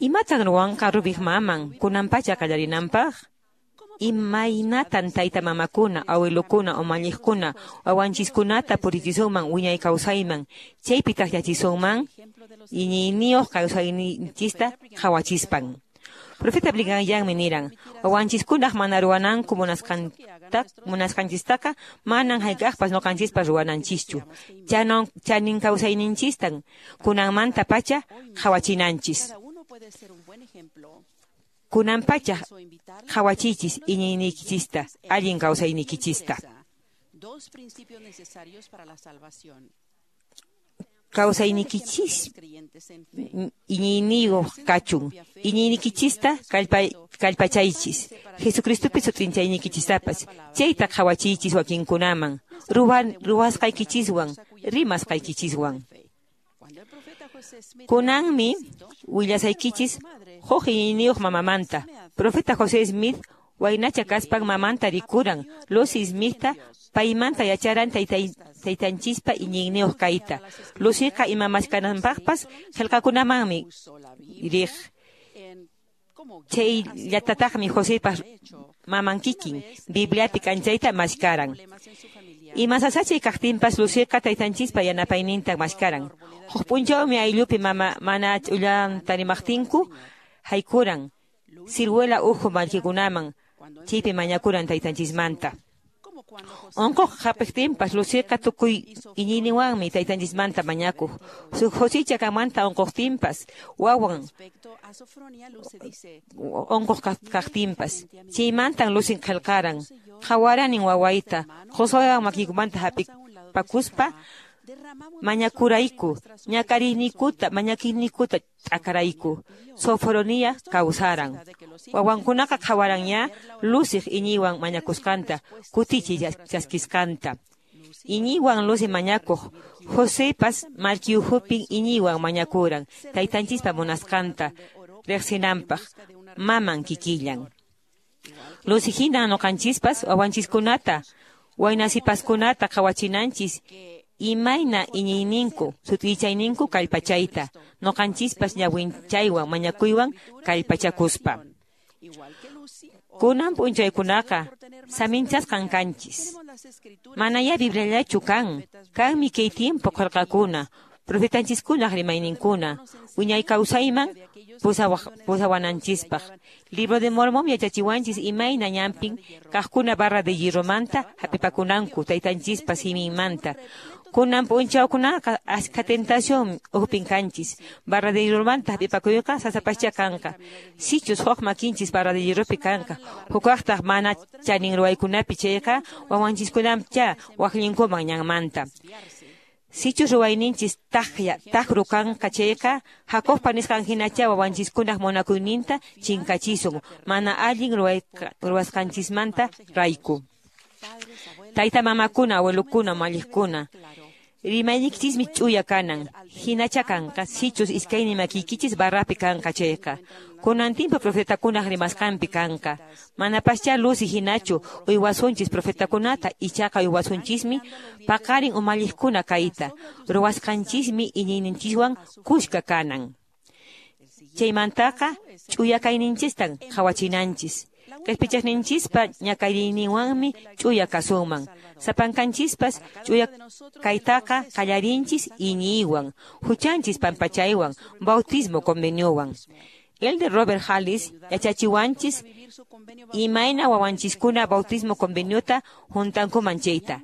Imatan ruwanqa Rubiq maman kunan pacha qallarinanpaq? Imaynatan tayta mamakuna, awilukuna, umalliqkuna, wawanchiskunata purichisunman wiñay kawsayman, chaypi taqllachisunman iñiyniyuq kawsayninchista qhawachispan. Profeta Brigham Youngmi niran, wawanchiskunaq mana ruwananku munasqanta munasqanchistaqa manan hayk'aqpas ñuqanchispas ruwananchischu. Chanon chanin kawsayninchistan kunanmanta pacha qhawachinanchis. Kunan pacha qhawachichis iñiynikichista, allin kawsaynikichista. Kawsaynikichis iñiyniyuq kachun, iñiynikichista kallpachaychis, Jesucristopi sut'inchaynikichistapas, chayta qhawachiychis wakinkunaman, ruwan ruwasqaykichiswan, rimasqaykichiswan. Kunanmi willasaykichis huk iñiyniyuq mamamanta. Profeta José Smith waynacha kaspan mamanta rikuran, Lucy Smithta paymanta yacharan taytanchispa iñiyniyuq kayta. Lucyqa ima maskananpaqpas qillqakunamanmi riq. Chayllatataqmi Josepas maman kikin Bibliapi k'anchayta maskaran. Ima sasachay kaqtinpas Lucyqa taytanchispa yanapayninta maskaran. Huk p'unchawmi ayllupi mama mana ch'ullanta rimaqtinku haykuran siruela uhu mallkikunaman, chaypi mañakuran taytanchismanta. Unquq hapiqtinpas Lucyqa tukuy iñiyninwanmi taytanchismanta mañakuq. Josicha kamanta unquqtinpas, wawan unquq kaqtinpas. Chaymantan Lucy qillqaran, qhawaranin wawayta, Josuewan makiykumanta hapipakuspa mañakurayku, ñak'ariyniykuta, mañakiyniykuta t'akarayku. Sofronia kawsaran. Wawankunaqa qhawaranña Lucyq iñiywan mañakusqanta, kutichiy chaskisqanta. Iñiywan Lucy mañakuq, Josepas mallki ukhupin iñiywan mañakuran, taytanchispa munasqanta riqsinanpaq, maman kikillan. Lucy hina ñuqanchispas wawanchiskunata, waynasipaskunata qhawachinanchis imayna iñiyninku, sut'ichayninku kallpachayta, ñuqanchispas ñawinchaywan mañakuywan kallpachakuspa. Kunan p'unchaykunaqa saminchasqan kanchis. Manayá Bibliallachu kan, kanmi kay tiempo qillqakuna, profetanchiskunaq rimayninkuna, wiñay kawsayman pusawananchispaq. Libro de Mormón yachachiwanchis imayna ñanpin kaqkuna barra de hierromanta hapipakunanku taytanchispa siminmanta. Kunan p'unchawkunaqa askha tentación ukhupin kanchis. Barra de hierromanta hap'ipakuyqa sasapascha kanqa. Sichus huk makinchis barra de hierropi kanqa, hukaqtaq mana chanin ruwaykunapi chayqa wawanchiskunamcha waqllinkuman ñanmanta. Sichus ruwayninchis taqya taqru kanqa chayqa Jacobpa nisqan hinacha wawanchiskunaq munakuyninta chinkachisun mana allin ruwasqanchismanta rayku. Tayta mamakuna, awilukuna, umalliqkuna, rimayniykichismi ch'uya kanan, hinacha kanqa sichus iskaynin makiykichis barrapi kanqa chayqa. Kunan timpu profetakunaq rimasqanpi kanqa. Manapaschá Lucy hinachu uywasunchis profetakunata, ichaqa uywasunchismi paqarin umalliqkuna kayta, ruwasqanchismi iñiyninchiswan kuska kanan. Chaymantaqa ch'uya kayninchistan qhawachinanchis. Qhispichaqninchispa ñak'ariyninwanmi ch'uya kasunman. Sapankanchispas ch'uya kaytaqa qallarinchis iñiywan, huchanchis pampachaywan, bautismo conveniowan. Elder Robert Hallis yachachiwanchis imayna wawanchiskuna bautismo conveniota juntankuman chayta.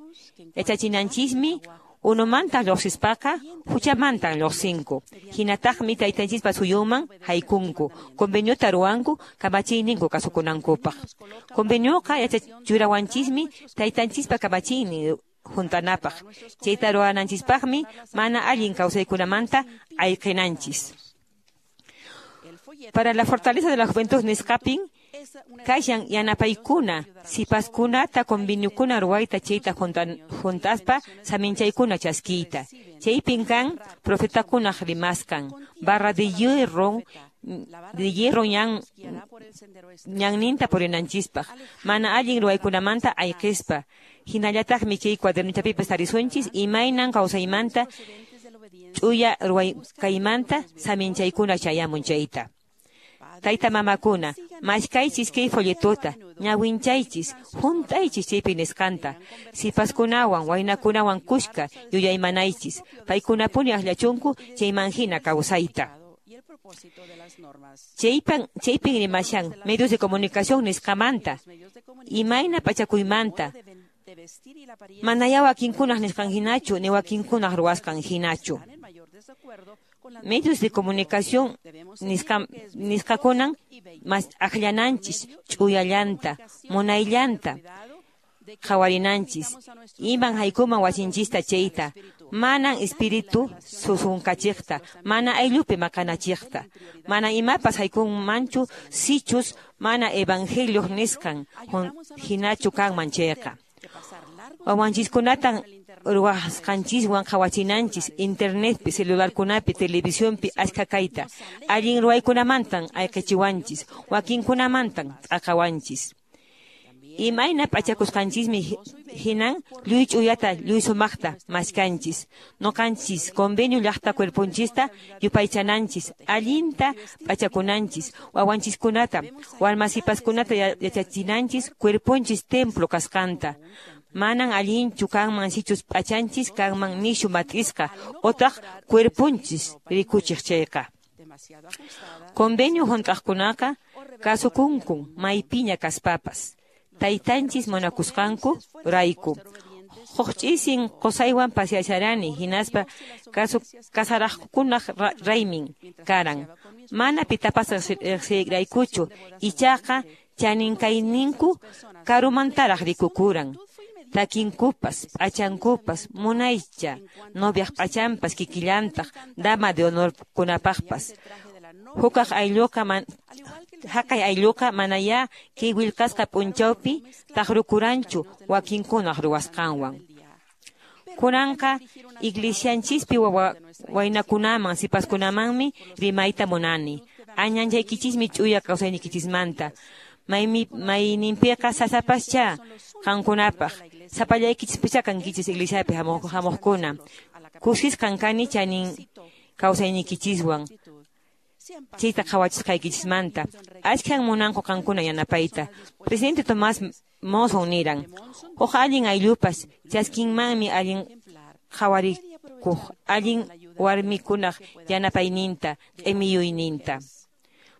Yachachinanchismi unumanta lluqsispaqa huchamantan lluqsinku. Hinataqmi taytanchispa suyunman haykunku, conveniota ruwanku kamachiyninku kasukunankupaq. Convenioqa yachachurawanchismi taytanchispa kamachiynin juntanapaq. Chayta ruwananchispaqmi mana allin kawsaykunamanta ayqinanchis. Para la fortaleza de la juventud nisqapin kashan yanapaykuna sipaskunata conveniokuna ruwayta chayta juntaspa saminchaykuna chaskiyta. Chaypin kan profetakunaq rimasqan barra de hierro de hierro ñan ñanninta purinanchispaq mana allin ruwaykunamanta ayqispa. Hinallataqmi chay cuadernochapipas tarisunchis imaynan kawsaymanta ch'uya ruwaykaymanta saminchaykuna chayamun chayta. Tayta mamakuna, mashkaychis kay folletota, ñawinchaychis, juntaychis chaypi nisqanta, sipaskunawan, waynakunawan kushka yuyaymanaychis, paykunapuni akllachunku chayman hina kawsayta. Chaypan, chaypin rimashan medios de comunicación nisqamanta, imayna pachakuymanta, manaya wakinkunaq nisqan hinachu, ni wakinkunaq ruwasqan hinachu. Medios de comunicación nisqakunan mas akllananchis ch'uyallanta, munayllanta qhawarinanchis, iman haykuman wasinchista chayta, manan espíritu susunkachiqta, mana ayllupi maqanachiqta, mana imapas haykunmanchu sichus mana evangelioq nisqan hinachu kanman chayqa. Wawanchiskunatan ruwasqanchiswan qhawachinanchis internetpi, celularkunapi, televisionpi achka kayta. Allin ruwaykunamantan ayqichiwanchis, wakinkunamantan t'aqawanchis. Imayna p'achakusqanchismi hinan lluy ch'uyata, lluy sumaqta mashkanchis. Nuqanchis convenio llaqta cuerponchista yupaychananchis, allinta p'achakunanchis, wawanchiskunata, warmasipaskunata yachachinanchis cuerponchis templo kasqanta. Manan allinchu kanman sichus p'achanchis kanman nishu mat'isqa otaq cuerponchis rikuchiq chayqa. Convenio hunt'aqkunaqa kasukunkun maypiña kaspapas. Taytanchis munakusqanku rayku. Huk ch'isin qusaywan paseasharani hinaspa kasaraqkunaq raymin karan. Mana pitapas riqsiyraykuchu ichaqa chaninkayninku karumantaraq rikukuran. Takinkupas, p'achankupas, munaycha, noviaq p'achanpas kikillantaq, dama de honor kunapaqpas. Hukaq aylluqa man, haqay aylluqa manaya kay willkasqa p'unchawpi taqrukuranchu wakinkunaq ruwasqanwan. Kunanqa iglesianchispi waynakunaman sipaskunamanmi rimayta munani. Añanchaykichismi ch'uya kawsayniykichismanta. Maymi mayninpiqa sasapascha qankunapaq. Sapallaykichispicha kankichis iglesiapi hamuqkuna. Kusisqan kani chanin kawsayniykichiswan. Chayta qhawachisqaykichismanta. Achkan munanku qankuna yanapayta. Presidente Tomás Monson niran, huk allin ayllupas chaskinmanmi allin qhawarikuq allin warmikunaq yanapayninta, q'imiyuyninta.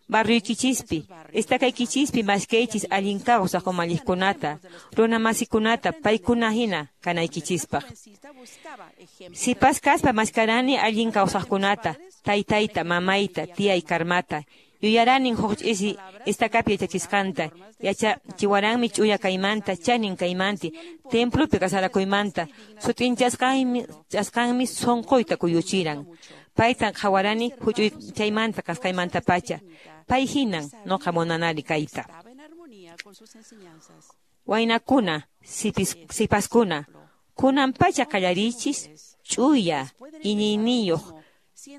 Barrioykichispi, estakaykichispi mashkaychis allin kawsaq umalliqkunata, runamasikunata, paykuna hina kanaykichispaq. Sipas kaspa mashkarani allin kawsaqkunata, taytayta, mamayta, tiyay Karmata. Yuyaranin huk ch'isi estakapi yachachisqanta, yachachiwaranmi ch'uya kaymanta, chanin kaymanti, templopi kasarakuymanta, sut'inchasqanmi chasqanmi sunquyta kuyuchiran. Paytan qhawarani huch'uychaymanta kasqaymantapacha. Pay hinan nuqa munanari kayta. Waynakuna, sipaskuna, kunan pacha qallarichis ch'uya iñiyniyuq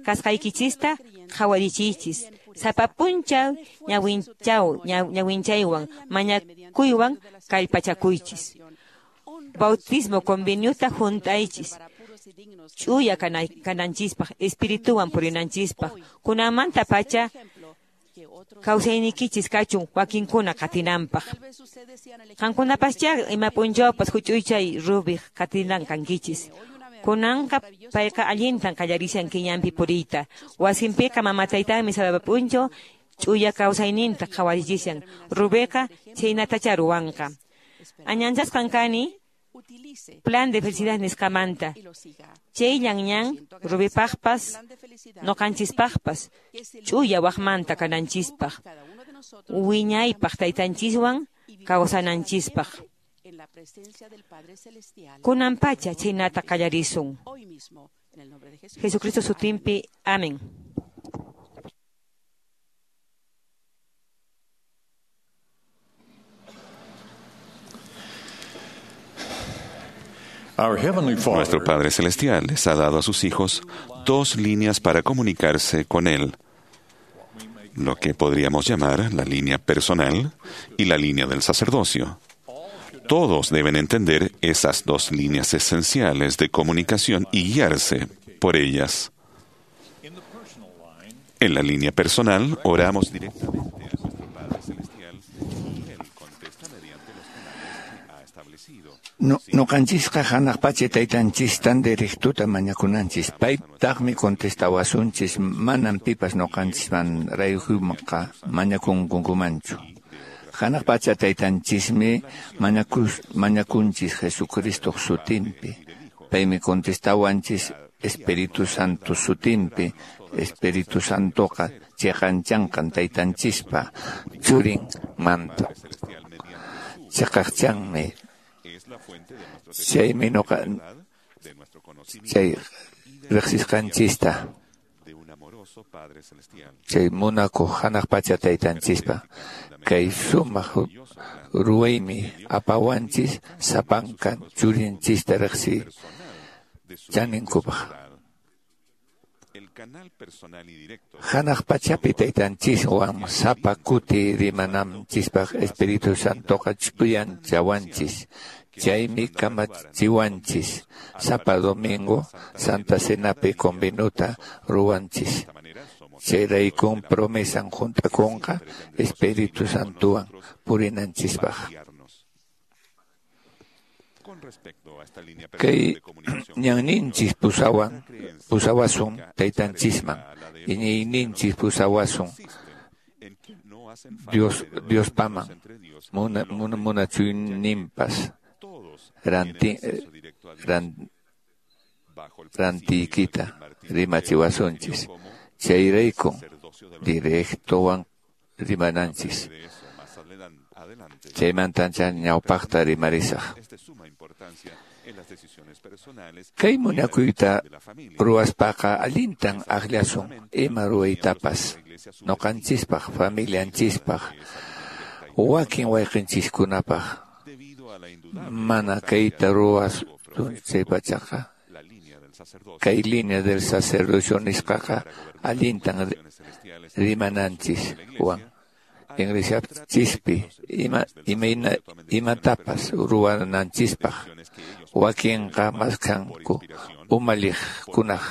kasqaykichista qhawarichiychis. Sapa p'unchaw ñawinchaw ñawinchaywan mañakuywan kallpachakuychis. Bautismo conveniota juntaychis. Ch'uya kananchispaq, espirituwan purinanchispaq. Kunanmanta pacha kawsaynikichis kachun wakinkuna qatinanpaq. Qankunapaschá ima p'unchawpas huch'uychay Rubiq qatinan kankichis. Kunanqa payqa allintan qallarishan kiñanpi puriyta. Wasinpiqa mama taytanmi sapa p'unchaw ch'uya kawsayninta qhawarichishan. Rubiqa chhaynatachá ruwanqa. Añanchasqan kani plan de felicidad nisqamanta. Chayllan ñan Rubipaqpas nuqanchispaqpas ch'uya waqmanta kananchispaq, wiñaypaq taytanchiswan kawsananchispaq. Kunan pacha chhaynata qallarisun. Jesucristo sutinpi. Amén. Nuestro Padre Celestial les ha dado a sus hijos dos líneas para comunicarse con Él, lo que podríamos llamar la línea personal y la línea del sacerdocio. Todos deben entender esas dos líneas esenciales de comunicación y guiarse por ellas. En la línea personal, oramos directamente a nuestro Padre Celestial y Él contesta mediante los canales que ha establecido. No, noqanchisqa hanaq pacha taytanchistan directuta mañakunanchis. Paytaqmi contestawasunchis, manam pipas noqanchisman rayhuyqa mañakunkumanchu. Hanaq pacha taytanchismi mañakus, mañakunchis Jesucristo sutinpi. Paymi contestawanchis Espíritu Santo sutinpi. Espíritu Santoqa chiqanchanqan taytanchispa churin manta. Chiqaqchanmi. Chaymi noqa chay riqsisqanchista chay munakuq hanaq pacha taytanchispa kay sumaq ruwaymi apawanchis sapanka churinchista riqsi chaninkupaq. Hanaq pachapi taytanchiswan sapa kuti rimananchispaq Espíritu Santoqa ch'uyanchawanchis. Chaymi kamachiwanchis sapa domingo Santa Cenapi con vinuta ruwanchis. Chayraykun promesan juntakunqa Espíritu Santowan purinanchispaq. Kay ñanninchis pusawan pusawasun taytanchisman, iñiyninchis pusawasun Dios Diospaman, muna muna munachuyninpas ranti ran, rantiykita rimachiwasunchis. Chayraykun directowan rimananchis. Chaymantancha ñawpaqta rimarisaq. Kay munakuyta ruwaspaqa allintan akllasun ima ruwaytapas noqanchispaq, familianchispaq, wakin wayqinchiskunapaq. Mana kayta ruwasun chaypachaqa kay línea del sacerdocio nisqaqa allintan rimananchis wan. Iglesiachispi ima imayna imatapas ruwananchispaq wakinqa maskanku umalliqkunaq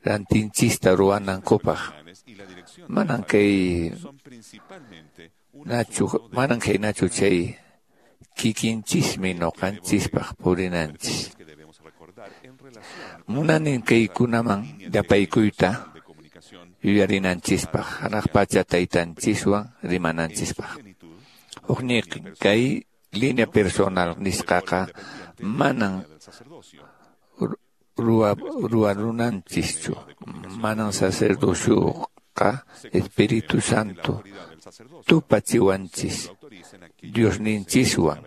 rantinchista ruwanankupaq. Manan kay nachu manan kay nachu chay kikinchismi noqanchispaq purinanchis. Munanin kaykunaman yapaykuyta yuyarinanchispaq, hanaq pacha taytanchiswan rimananchispaq. Hukniqin kay línea personal nisqaqa manan ruwa ruwarunanchischu, manan sacerdocioqa Espíritu Santo tupachiwanchis Diosninchiswan.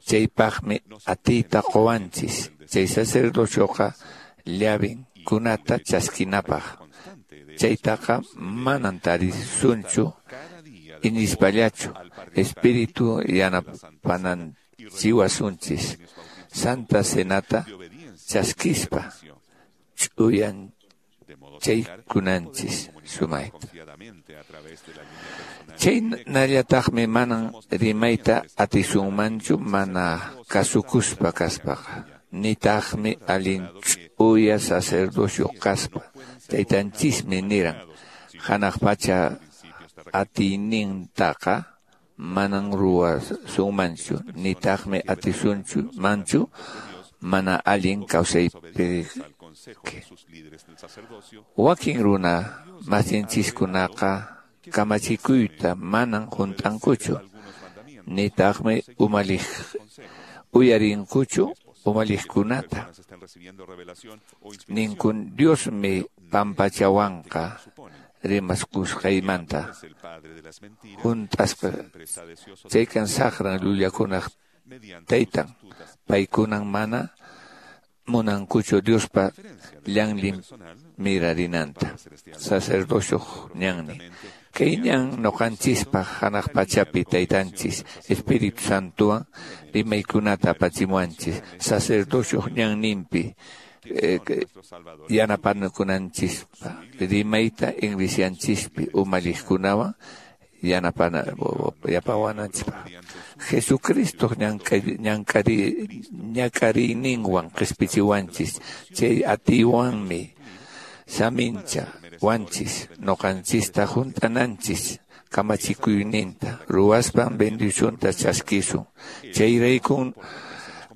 Chaypaqmi atiyta quwanchis. Chay sacerdocioqa llavinkunata chaskinapaq. Chaytaqa manan tarisunchu iñispallachu. Espíritu yanapananchiwasunchis Santa Cenata chaskispa ch'uyanchaykunanchis sumayta. Chaynallataqmi manan rimayta atisunmanchu mana kasukuspa kaspaqa. Nitaqmi allin ch'uya sacerdocio kaspa. Taytanchismi niran, hanaq pacha atiynintaqa manan ruwasunmanchu, nitaqmi atisunchu manchu mana allin kawsaypi. Wakin runa masinchiskunaqa kamachikuyta manan hunt'ankuchu, nitaqmi umalliq uyarinkuchu umalliqkunata. Ninkun Diosmi pampachawanqa rimaskusqaymanta hunt'asqa chaykan saqran llullakunaq taytan, paykunan mana munankuchu Diospa llanlin mirarinanta. Sacerdocioq ñannin. Kay ñan noqanchispaq hanaq pachapi taytanchis Espíritu Santowan rimaykunata apachimuwanchis. Sacerdocioq ñanninpi eh, yanapakunanchispaq rimayta iglesianchispi umalliqkunawan yanapana yapawananchispaq. Jesucristo ñank'ari ñak'ariyninwan qispichiwanchis, chay atiywanmi samincha wanchis noqanchista hunt'ananchis kamachikuyninta ruwaspan bendicionta chaskisun. Chayraykun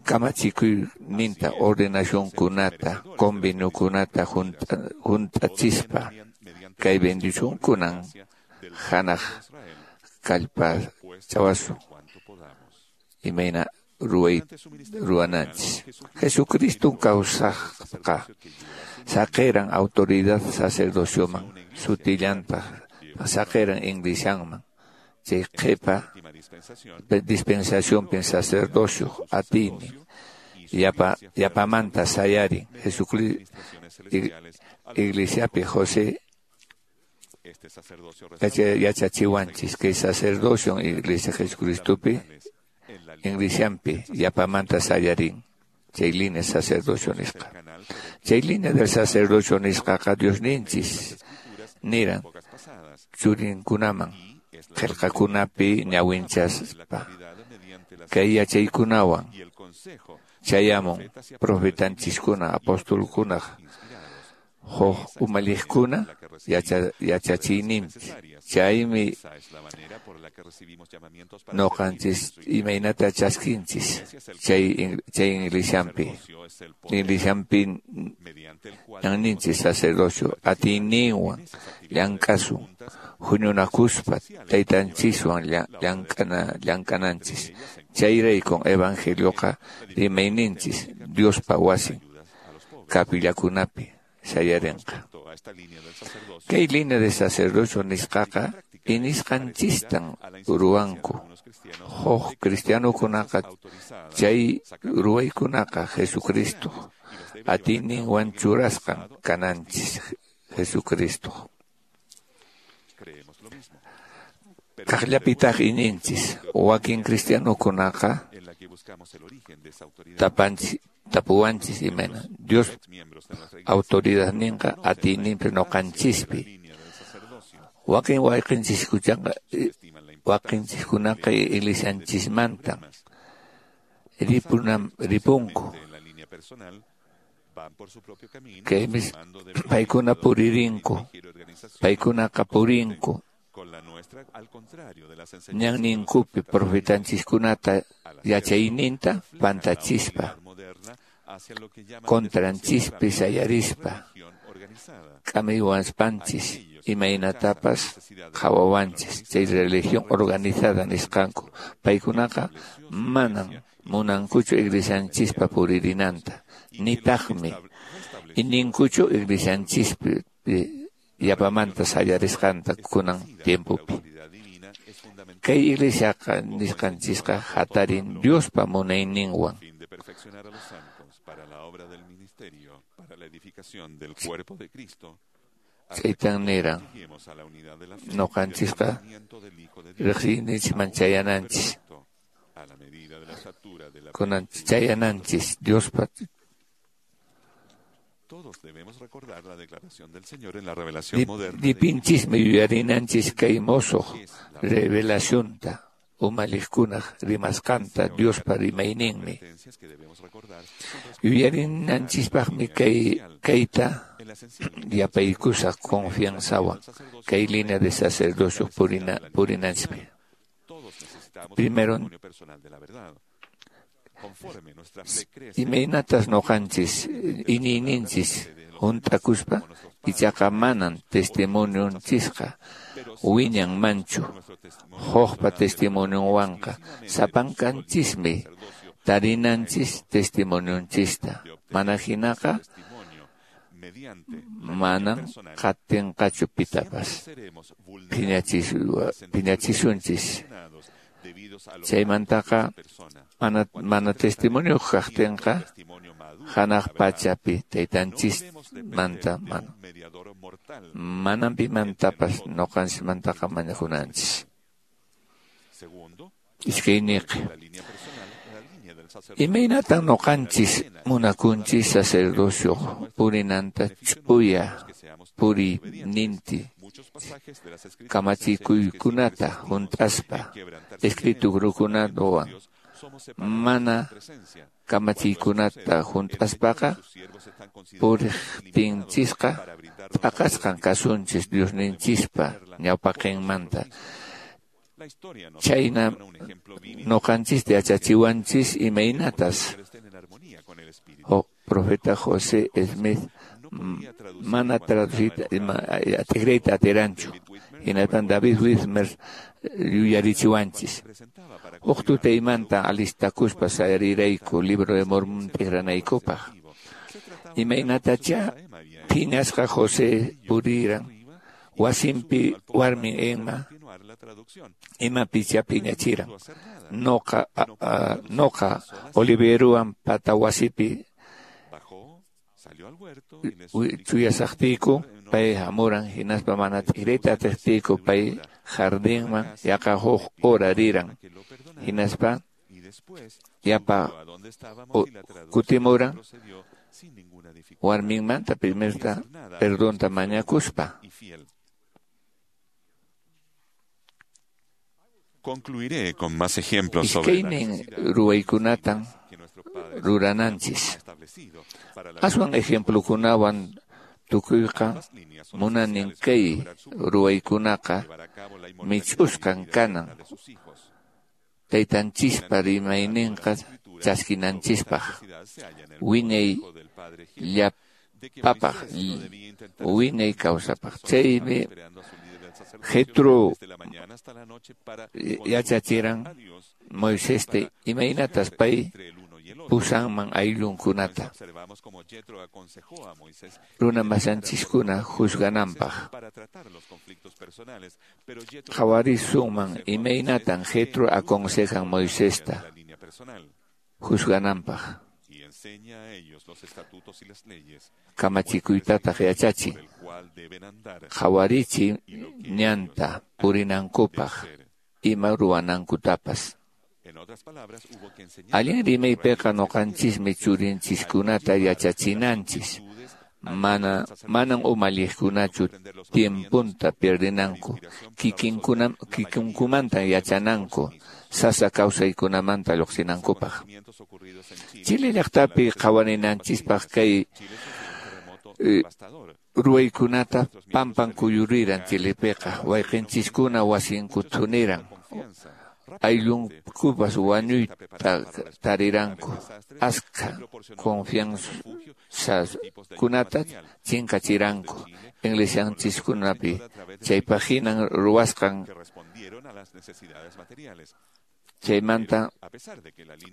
kamachikuyninta ordenacionkunata conveniokunata hunt'achispa kay bendicionkunan hanaq kallpachawasun imayna ruway ruwananchis. Jesucristo kawsaqqa saqiran autoridad sacerdocioman, sutillantaq saqiran iglesianman. Chay qhipa dispensacionpi sacerdocio atiynin yapa yapamanta sayarin Jesucristo iglesiapi José yachachiwanchis kay sacerdocio iglesia Jesucristopi iglesianpi yapamanta sayarin chay línea sacerdocio nisqa. Chay línea del sacerdocio nisqaqa Diosninchis niran churinkunaman qillqakunapi ñawinchaspa kay yachaykunawan chayamun profetanchiskuna apostolkunaq huk umalliqkuna yachachiyninpi. Chaymi noqanchis imaynata chaskinchis chay chay iglesianpi. Iglesianpi ñanninchis sacerdocio atiyninwan llank'asun huñunakuspa taytanchiswan llank'ana llank'ananchis. Chayraykun evangelioqa rimayninchis Diospa wasin kapillakunapi sayarinqa. Kay línea de sacerdocio nisqaqa inisqanchistan ruwanku. Huk cristianokunaqa chay ruwaykunaqa Jesucristo atiyninwan churasqan kananchis Jesucristo. Kaqllapitaq ininchis wakin cristianokunaqa tapanchis tapuwanchis imayna Dios autoridadninqa atiyninpi noqanchispi. Wakin wayqinchiskunaqa waqinchiskunaqa iglesianchismantan ripunam ripunku. Kaymi paykuna puririnku, paykunaqa purinku ñanninkupi profetanchiskunata yachayninta pantachispa contranchispi sayarispa k'amiwanspanchis imaynatapas qhawawanchis. Chay religión organizada nisqanku paykunaqa manan munankuchu iglesianchispa puririnanta, nitaqmi ininkuchu iglesianchispi yapamanta sayarisqanta kunan tiempopi. Kay iglesiaqa nisqanchisqa hatarin Diospa munayninwan. Chaytan niran noqanchisqa riqsiyninchikman chayananchis. Kunan chayananchis Diospa. Dipinchismi yuyarinanchis kay mosoq revelacionta umalliqkunaq rimasqanta Diospa rimayninmi. Yuyarinanchispaqmi kay kayta yapaykusaq confianzawan kay línea de sacerdocio purina purinanchispi. Primero, imaynatas noqanchis iñiyninchis hunt'akuspa ichaqa manan testimonionchisqa wiñanmanchu hukpa testimonionwanqa sapankanchismi tarinanchis testimonionchista mana hinaqa manan qatinqachu pitapas phiñachisunchis. Chaymantaqa mana mana testimonio kaqtinqa hanaq pachapi taytanchismanta mana manan pimantapas noqanchismantaqa mañakunanchis. Iskayniqi imaynatan noqanchis munakunchis sacerdocio purinanta ch'uya puriyninti kamachikuykunata hunt'aspa escriturukunawan mana kamachiykunata hunt'aspaqa puriqtinchisqa t'aqasqan kasunchis Diosninchispa ñawpaqinmanta. Chayna noqanchista yachachiwanchis imaynatas o profeta José Smith mana traducita atigrayta atiranchu hinaspan David Whitmer yuyarichiwanchis. Huk tutaymanta alistakuspa sayarirayku Libro de Mormón tikranaykupaq. Imaynatachá phiñasqa José puriran wasinpi warmin Emma imapichá phiñachiran. Noqa noqa Oliveruwan pata wasipi chuyasaqtiyku pay hamuran hinaspa mana t'ikrayta atiqtiyku pay jardinman yaqa huk hora riran hinaspa yapa kutimuran warminmanta primerta perdonta mañakuspa. Concluiré con más ejemplos sobre la Iskaynin ruwaykunatan rurananchis. Aswan ejemplokunawan tukuyqa munanin kay ruwaykunaqa mich'usqan kanan taytanchispa rimayninqa chaskinanchispaq wiñay llapapaq wiñay kawsapaq. Chaymi Jetro yachachiran Moisesta imaynatas pay pusanman ayllunkunata runa masanchiskuna juzgananpaq. Qhawarisunman imaynatan Jetro aconsejan Moisesta juzgananpaq. Kamachikuytataq yachachin qhawarichi ñanta purinankupaq ima ruwanankutapas. Allin rimaypiqa noqanchismi churinchiskunata yachachinanchis. Mana manan umalliqkunachu tiempunta pierdenanku kikinkuna kikinkumanta yachananku sasa kawsaykunamanta lluqsinankupaq. Chile llaqtapi qhawarinanchispaq kay ruwaykunata pampan kuyuriran Chilepiqa wayqinchiskuna wasinku thuniran ayllunkupas wañuyta tariranku askha confianzakunata chinkachiranku iglesianchiskunapi chaypaq hinan ruwasqan chaymanta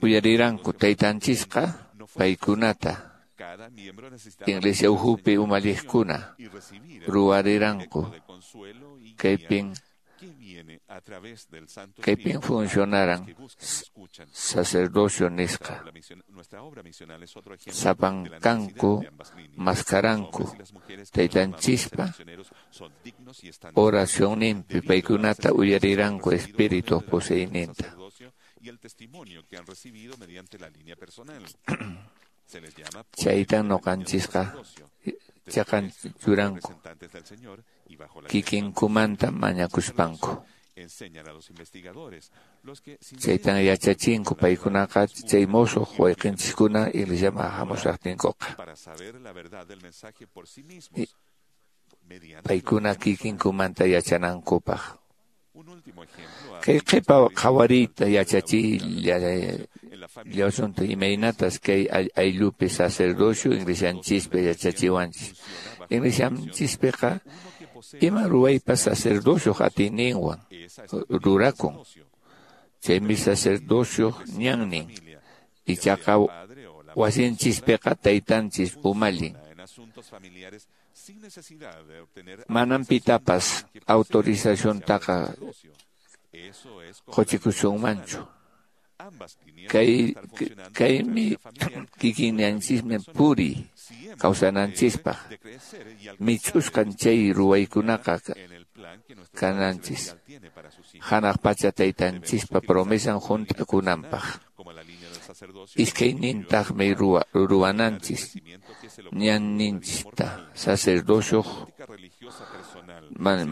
uyariranku taytanchisqa paykunata iglesia uhupi umalliqkuna ruwariranku kaypin kaypin funcionaran sacerdocio nisqa sapankanku maskaranku taytanchispa oracionninpi paykunata uyariranku espíritu poseyninta. Chaytan noqanchisqa chaqan churanku kikinkumanta mañakuspanku. Chaytan yachachinku paykunaqa chay mosoq wayqinchiskuna iglesiaman hamushaqtinkuqa. Paykuna kikinkumanta yachanankupaq. Kay qhipa qhawariyta yachachiyllasunta imaynatas kay ayllupi sacerdocio iglesianchispi yachachiwanchis. Iglesianchispiqa ima ruwaypas sacerdocioq atiyninwan rurakun. Chaymi sacerdocioq ñannin. Ichaqa wasinchispiqa taytanchis umallin. Manam pitapas autorizaciontaqa quchikusunmanchu. Kay kaymi kikinnanchismi puriy kawsananchispaq. Mich'usqan chay ruwaykunaqa kananchis. Hanaq pacha taytanchispa promesan hunt'akunanpaq. Iskaynintaqmi ruwananchis ñanninchista sacerdocioq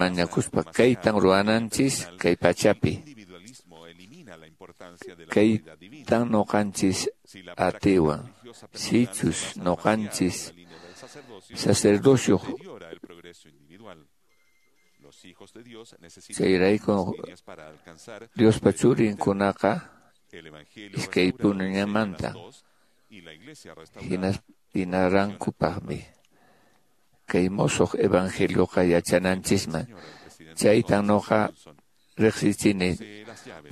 mañakuspa kaytan ruwananchis kay pachapi. Kaytan noqanchis atiwan. Sichus noqanchis sacerdocioq chayrayku Diospa churinkunaqa iskay puñunamanta hinarankupaqmi kay mosoq evangelioqa yachananchisman. Chaytan noqa riqsichini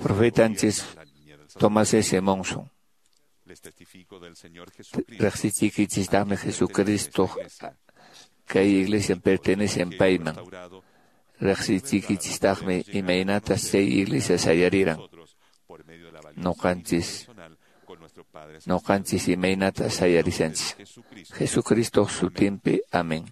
profetanchis Thomas S. Monson. Riqsichikichistaqmi Jesucristo kay iglesia pertenecen payman. Riqsichikichistaqmi imaynatas chay iglesia sayariran. Noqanchis noqanchis imaynata sayarishanchis. Jesucristo sutinpi. Amén.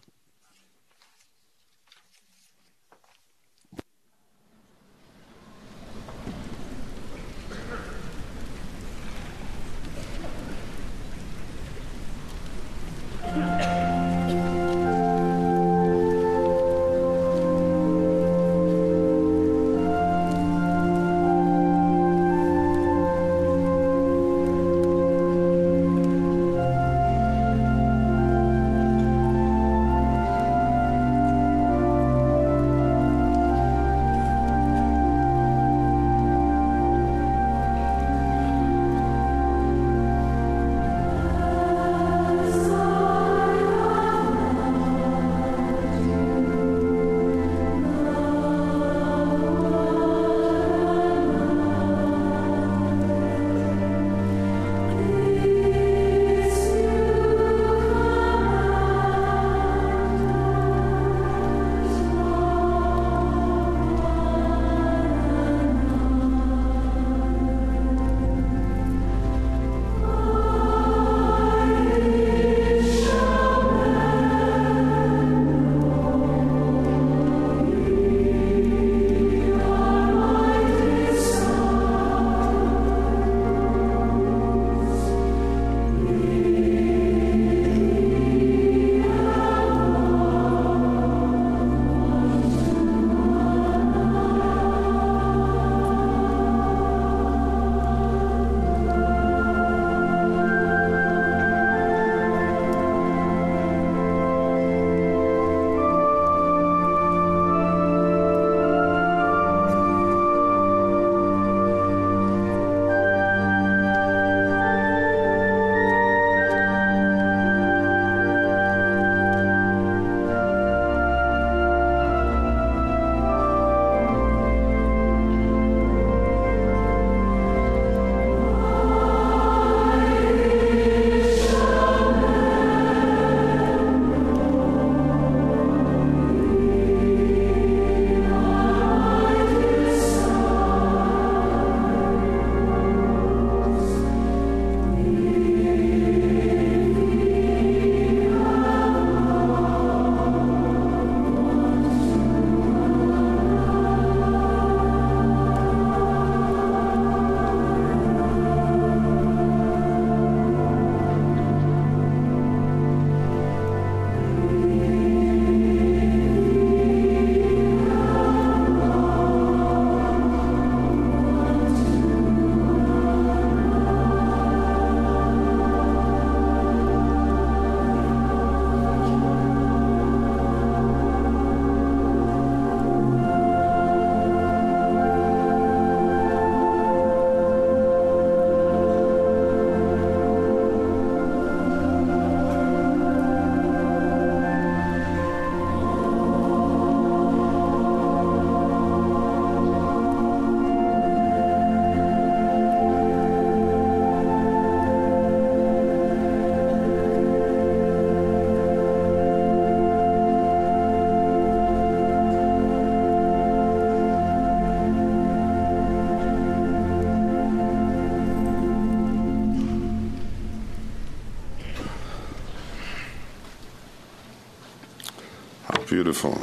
Beautiful.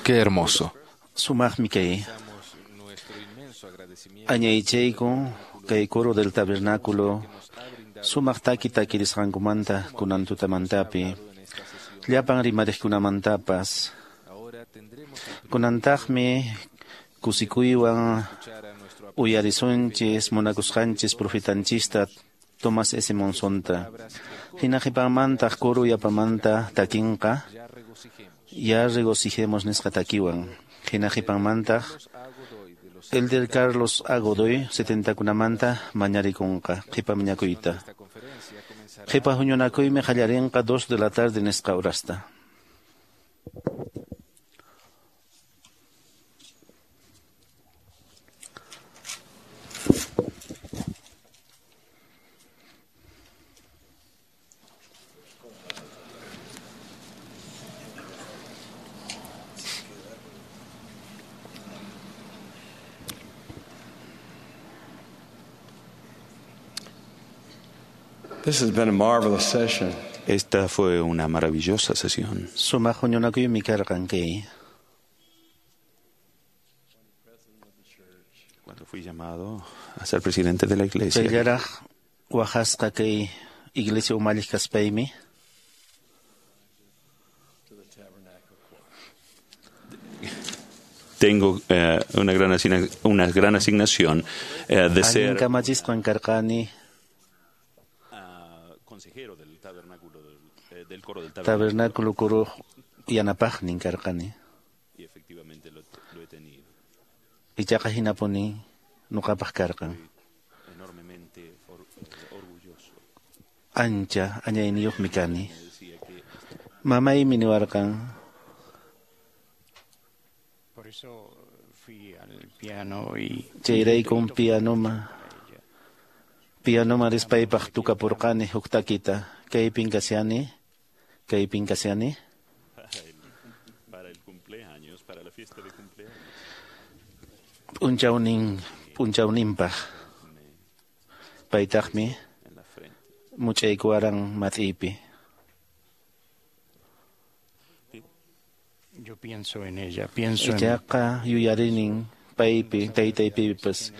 Qué hermoso. Sumaqmi kay. Añaychayku kay coro del tabernáculo sumaq taki takirisqankumanta kunan tutamantapi llapan rimariqkunamantapas kunantaqmi kusikuywan uyarisunchis munakusqanchis profetanchista Thomas S. Monsonta hina qhipanmantaq coro yapamanta takinqa ya regocijemos nisqa takiwan hina qhipanmantaq Elder Carlos A. Godoy setentakunamanta mañarikunqa qhipa mañakuyta qhipa huñunakuymi qallarinqa dos de la tarde nisqa horasta. This has been a marvelous session. Esta fue una maravillosa sesión. Sumaq huñunakuymi karqan kay. Cuando fui llamado a ser presidente de la iglesia. Chayllaraq waqasqa kay iglesia umalliq kaspaymi. Tengo eh, una gran asigna una gran asignación eh, de ser Allin kamachisqan karqani consejero del tabernáculo del, eh, del coro del tabernáculo. Tabernáculo coro yanapaqnin karqani. Y efectivamente lo, lo he tenido. Ichaqa hinapuni nuqapaq karqan. Enormemente or, orgulloso. Ancha añayniyuqmi kani. Mamaymi niwarqan. Por eso fui al piano y chayraykun pianoma pianoma rispaypaq tukapurqani huk takita kaypin kashani kaypin kashani para el cumpleaños, para la fiesta de cumpleaños. P'unchawnin p'unchawninpaq paytaqmi much'aykuwaran mat'iypi. Yo pienso en ella, pienso en Ichaqa yuyarinin paypi taytaypipas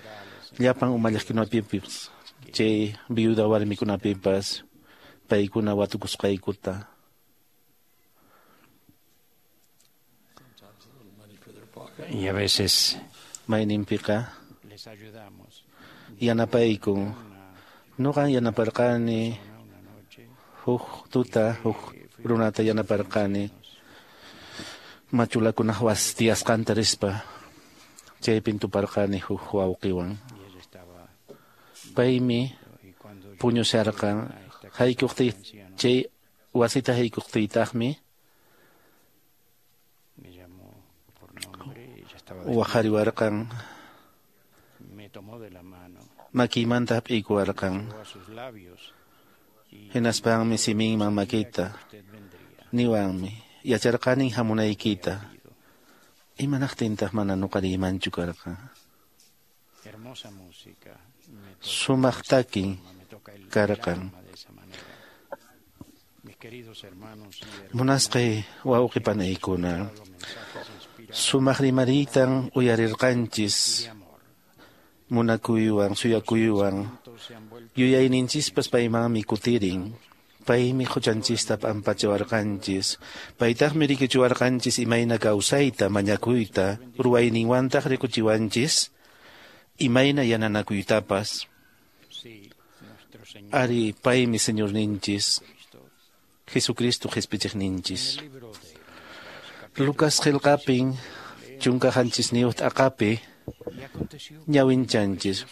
llapan umalliqkunapipas chay viuda warmikunapipas paykuna watukusqaykuta. Y a veces mayninpiqa les ayudamos. Yanapayku. Nuqan yanaparqani huk tuta huk runata yanaparqani machulakunaq wasi tiyasqanta rispa chaypin tuparqani huk wawqiwan. Paymi puñusharqan haykuqtiy chay wasita haykuqtiytaqmi waqariwarqan makiymanta hap'iykuwarqan hinaspanmi siminman makita niwanmi yacharqanin hamunaykita imanaqtintaq mana nuqa riymanchu karqan. Sumaq takin karqan. Munasqay wawqi panaykuna sumaq rimariytan uyarirqanchis munakuywan suyakuywan yuyayninchispas paymanmi kutirin. Paymi huchanchista p'ampachiwarqanchis paytaqmi rikuchiwarqanchis imayna kawsayta mañakuyta ruwayninwantaq rikuchiwanchis imayna yananakuytapas. Ari paymi Señorninchis Jesucristo qhispichiqninchis. Lucas qillqapin chunka qanchisniyuq t'aqapi ñawinchanchis.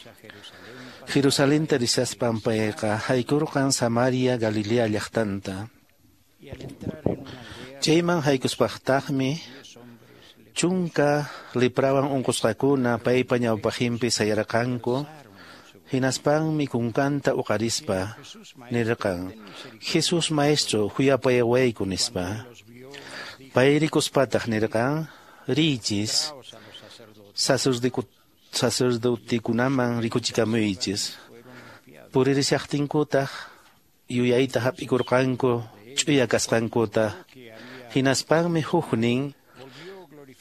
Jerusalenta rishaspan payqa haykurqan Samaria Galilea llaqtanta. Chayman haykuspaqtaqmi chunka leprawan unqusqakuna paypa ñawpaqinpi sayarqanku. Hinaspanmi kunkanta uqarispa nirqan: Jesús maestro, khuyapayawayku nispa. Pay rikuspataq nirqan: Riychis sacerdotekunaman rikuchikamuychis. Puririshaqtinkutaq yuyayta hap'ikurqanku ch'uya kasqankuta. Hinaspanmi huknin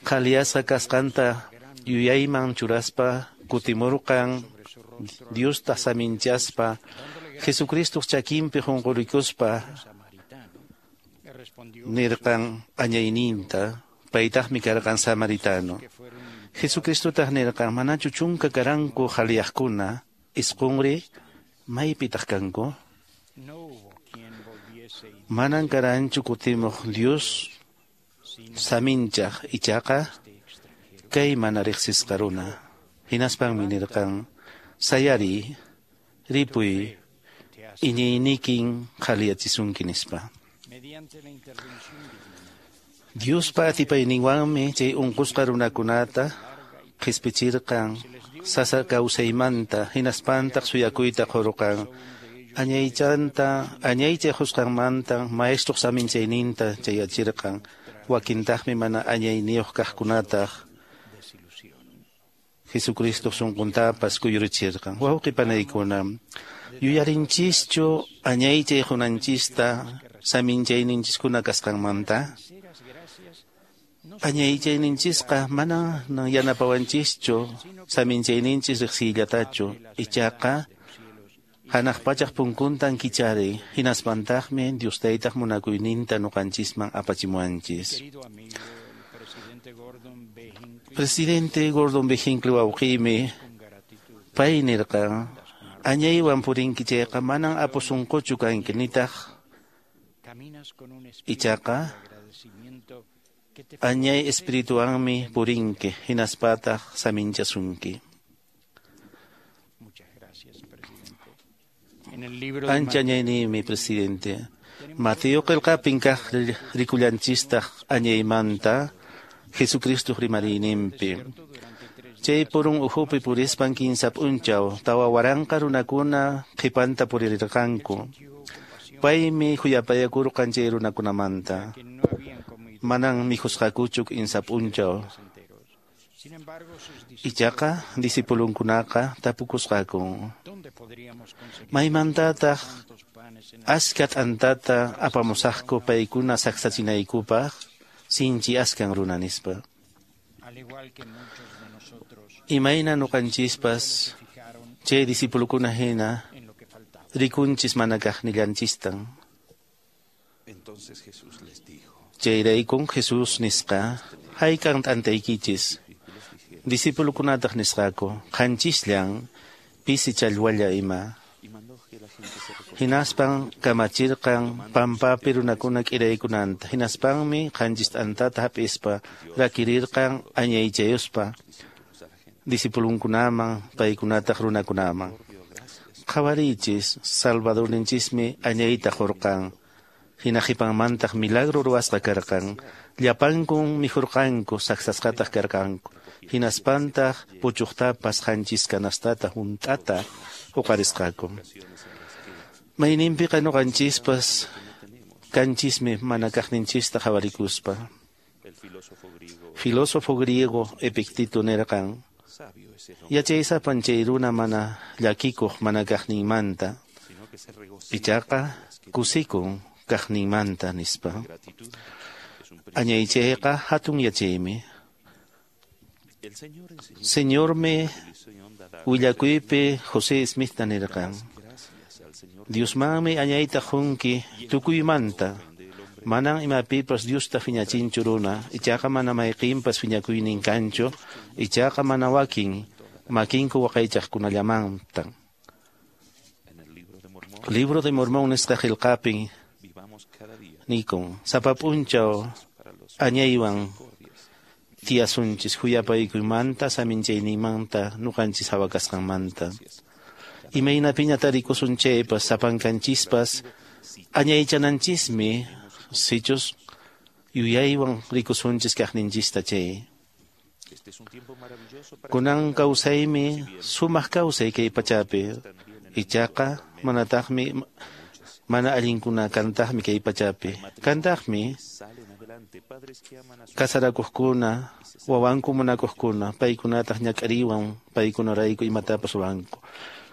qhaliyasqa kasqanta yuyayman churaspa kutimurqan Diosta saminchaspa Jesucristoq chakinpi qunqurikuspa nirqan añayninta, paytaqmi karqan samaritano. Jesucristotaq nirqan manachu chunka karanku qhaliyaqkuna isqunri maypitaq kanku? Manan karanchu kutimuq Dios saminchaq ichaqa kay mana riqsisqa runa. Hinaspanmi nirqan sayari ripuy iñiynikin qhaliyachisunki nispa. Diospa atipayninwanmi chay unqusqa runakunata qhispichirqan sasa kawsaymanta hinaspantaq suyakuyta qurqan añaychanta añaychay qusqanmanta maestruq saminchayninta chayachirqan wakintaqmi mana añayniyuq kaqkunataq Jesucristo sunquntapas kuyurichirqan. Wawqi panaykuna, yuyarinchischu añaychay qunanchista saminchayninchiskuna kasqanmanta? Añaychayninchisqa mana yanapawanchischu saminchayninchis riqsiyllatachu, ichaqa hanaq pachaq punkuntan kichari, hinaspantaqmi Dios taytaq munakuyninta ñuqanchisman apachimuwanchis. Presidente Gordon B. Hinckley wawqiymi pay nirqan añaywan purinki chayqa manan apusunquchu kanki nitaq ichaqa añay espirituanmi purinki hinaspataq saminchasunki. Ancha añayniymi presidente. Mateo qillqapin kaq rikullanchistaq añaymanta Jesucristo rimariyninpi. Chay purun ukhupi purispan kinsa p'unchaw tawa waranqa runakuna qhipanta purirqanku. Paymi khuyapayakurqan chay runakunamanta. Manan mikhusqakuchu kinsa p'unchaw. Ichaqa discipulunkunaqa tapukusqaku. Maymantataq aska t'antata apamusaqku paykuna saksachinaykupaq? Sinchi askan runa nispa. Imayna ñuqanchispas chay discipulukuna hina rikunchis mana kaqnillanchistan. Chayraykun Jesús nisqa hayk'an t'antaykichis. Discipulukunataq nisqaku qanchisllan pisi challwalla ima. Hinaspan kamachirqan pampapi runakuna k'iraykunanta. Hinaspanmi qanchis t'antata hap'ispa rakirirqan añaychayuspa discipulunkunaman paykunataq runakunaman. Qhawariychis Salvadorninchismi añayta qurqan. Hina qhipanmantaq milagro ruwasqa karqan. Llapankun mikhurqanku saksasqataq karqanku. Hinaspantaq puchuqtapas qanchis kanastata hunt'ata huqarisqaku. Mayninpiqa ñuqanchispas kanchismi mana kaqninchista qhawarikuspa. Filósofo griego Epicteto nirqan yachaysapan chay runa mana llakikuq mana kaqninmanta ichaqa kusikun kaqninmanta nispa. Añaychayqa hatun yachaymi. Señormi willakuypi José Smithta nirqan Diosmanmi añayta qunki tukuymanta. Manan imapipas Diosta phiñachinchu runa, ichaqa mana mayqinpas phiñakuynin kanchu, ichaqa mana wakin makinku waqaychaqkunallamantan. Libro de Mormón nisqa qillqapin nikun sapa p'unchaw añaywan tiyasunchis khuyapaykuymanta saminchayninmanta ñuqanchis hawa kasqanmanta. Imaynapiña tarikusun chaypas sapankanchispas añaychananchismi sichus yuyaywan rikusunchis kaqninchista chay. Kunan kawsaymi sumaq kawsay kay pachapi ichaqa manataqmi mana allinkuna kantaqmi kay pachapi. Kantaqmi kasarakuqkuna wawanku munakuqkuna paykunataq ñak'ariwan paykunarayku imatapas ruwanku.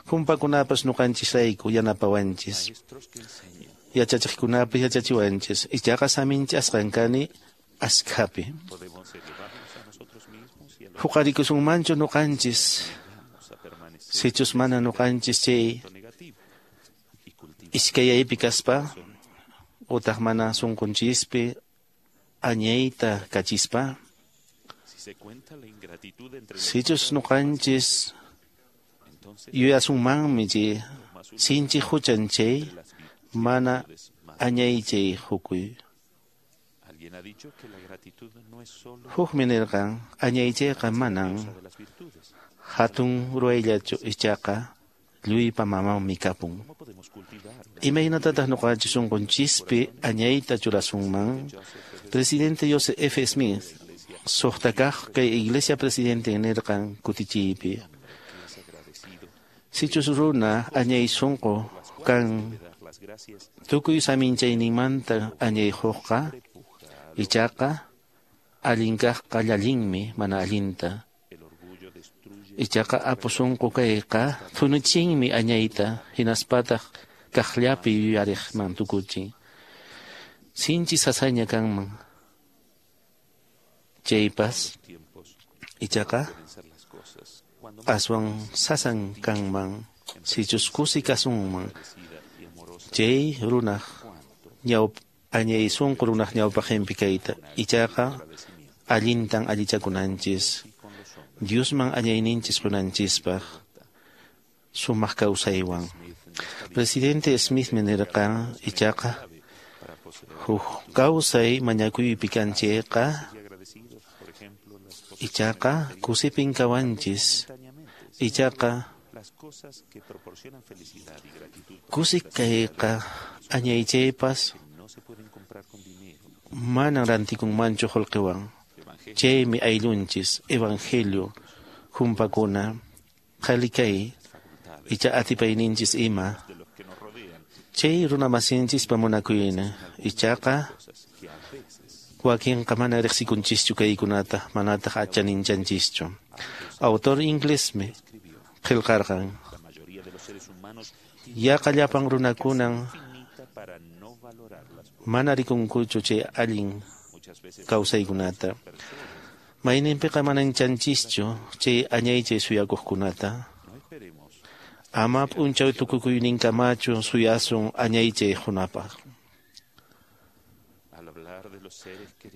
Kumpakunapas ñuqanchisrayku yanapawanchis. Yachachiqkunapi yachachiwanchis ichaqa saminchasqan kani askhapi. Huqarikusunmanchu nuqanchis sichus mana nuqanchis chay iskayaypi kaspa utaq mana sunqunchispi añayta kachispa. Sichus nuqanchis yuyasunmanmi chay sinchi huchan chay mana añaychay hukuy. Hukmi nirqan añaychayqa manan hatun ruwayllachu ichaqa lluypa mamanmi kapun. Imaynatataq nuqanchis sunqunchispi añayta churasunman? Presidente Joseph F. Smith suqta kaq kay iglesia presidente nirqan kutichiypi. Sichus runa añay sunqu kan tukuy saminchayninmanta añayhuqqa ichaqa allin kaqqa llallinmi mana allinta. Ichaqa apu sunqu kayqa thunuchinmi añayta hinaspataq kaqllapi yuyariqman tukuchin. Sinchi sasaña kanman chaypas ichaqa aswan sasan kanman sichus kusi kasunman chay runaq ñawp añay sunqu runaq ñawpaqinpi kayta ichaqa allintan allichakunanchis Diosman añayninchis qunanchispaq sumaq kawsaywan. Presidente Smith nirqan ichaqa huk kawsay mañakuypi kanchayqa ichaqa kusipin kawanchis ichaqa kusi kayqa añaychaypas manan rantikunmanchu qullqiwan. Chaymi ayllunchis evangelio humpakuna qhali kay icha atipayninchis ima chay runamasinchispa munakuyna ichaqa wakinqa mana riqsikunchischu kaykunata manataq achaninchanchishchu. Autor inglesmi qillqarqan yaqa llapan runakunan mana rikunkuchu chay allin kawsaykunata. Mayninpiqa mananchanchishchu chay añaychay suyakuqkunata. Ama p'unchaw tukukuyninkamachu suyasun añaychay qunapaq.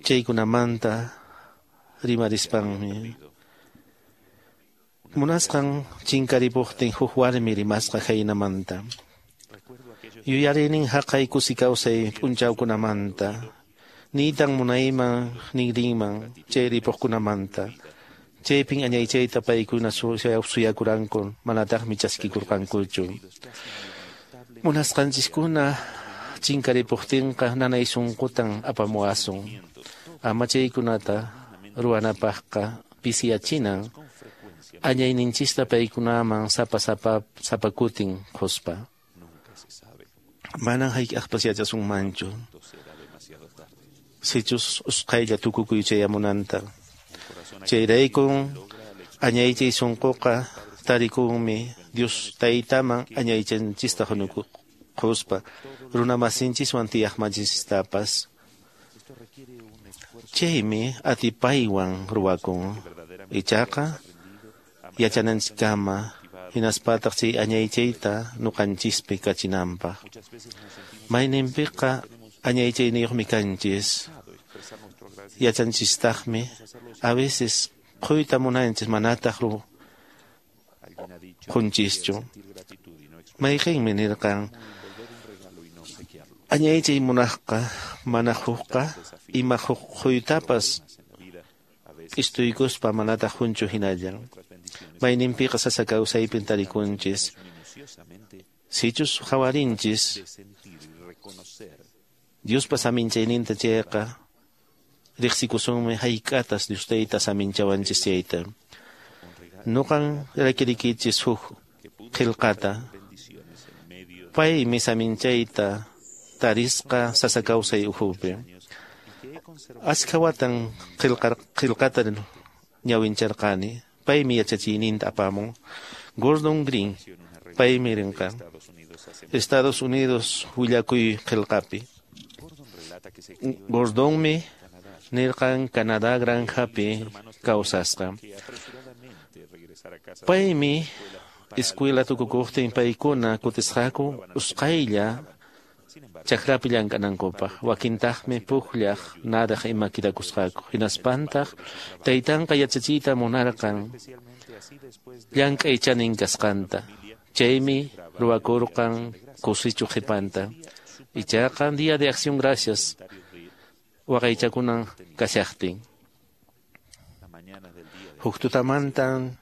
Chaykunamanta rimarispanmi munasqan chinkaripuqtin huk warmi rimasqa haynamanta. Yuyarinin haqay kusi kawsay p'unchawkunamanta niytan munayman ninrinman chay ripuqkunamanta. Chaypin añaychayta paykuna suyakuranku manataqmi chaskikurqankuchu. Munasqanchiskuna chinkaripuqtinqa nanay sunqutan apamuwasun. Ama chaykunata ruwanapaqqa pisiyachinan añayninchista paykunaman sapa sapa sapa kutin quspa. Manan hayk'aqpas yachasunmanchu sichus usqhaylla tukukuy chayamunanta. Chayraykun añaychay sunquqa tarikunmi Dios taytaman añaychanchista quspa runamasinchiswan tiyaqmanchistapas. Chaymi atipaywan ruwakun ichaqa yachananchiskama hinaspataq chay añaychayta nuqanchispi kachinanpaq. Mayninpiqa añaychayniyuqmi kanchis yachanchistaqmi a veces quyta munanchis manataq qunchischu. Mayqinmi nirqan añaychay munaqqa mana hukqa ima quytapas k'istuykuspa manataq hunchu hinallan. Mayninpiqa sasa kawsaypin tarikunchis sichus qhawarinchis Diospa saminchayninta chayqa riqsikusunmi hayk'atas Dios tayta saminchawanchis chayta. Nuqan rakirikichis huk qillqata paymi saminchayta tarisqa sasa kawsay ukhupi. Askha watan qillqata ñawincharqani paymi yachachiyninta apamun. Gordon Green paymi rinqa. Estados Unidos willakuy qillqapi. Gordonmi nirqan Canadá granjapi kawsasqa. Paymi escuela tukukuqtin paykuna kutisqaku usqhaylla chakrapi llank'anankupaq, wakintaqmi pukllaq naraq ima kidakusqaku. Hinaspantaq taytanqa yachachiyta munarqan llank'ay chanin kasqanta. Chaymi ruwakurqan kusichu qhipanta. Ichaqa Día de Acción Gracias waqaychakunan kashaqtin. Huk tutamantan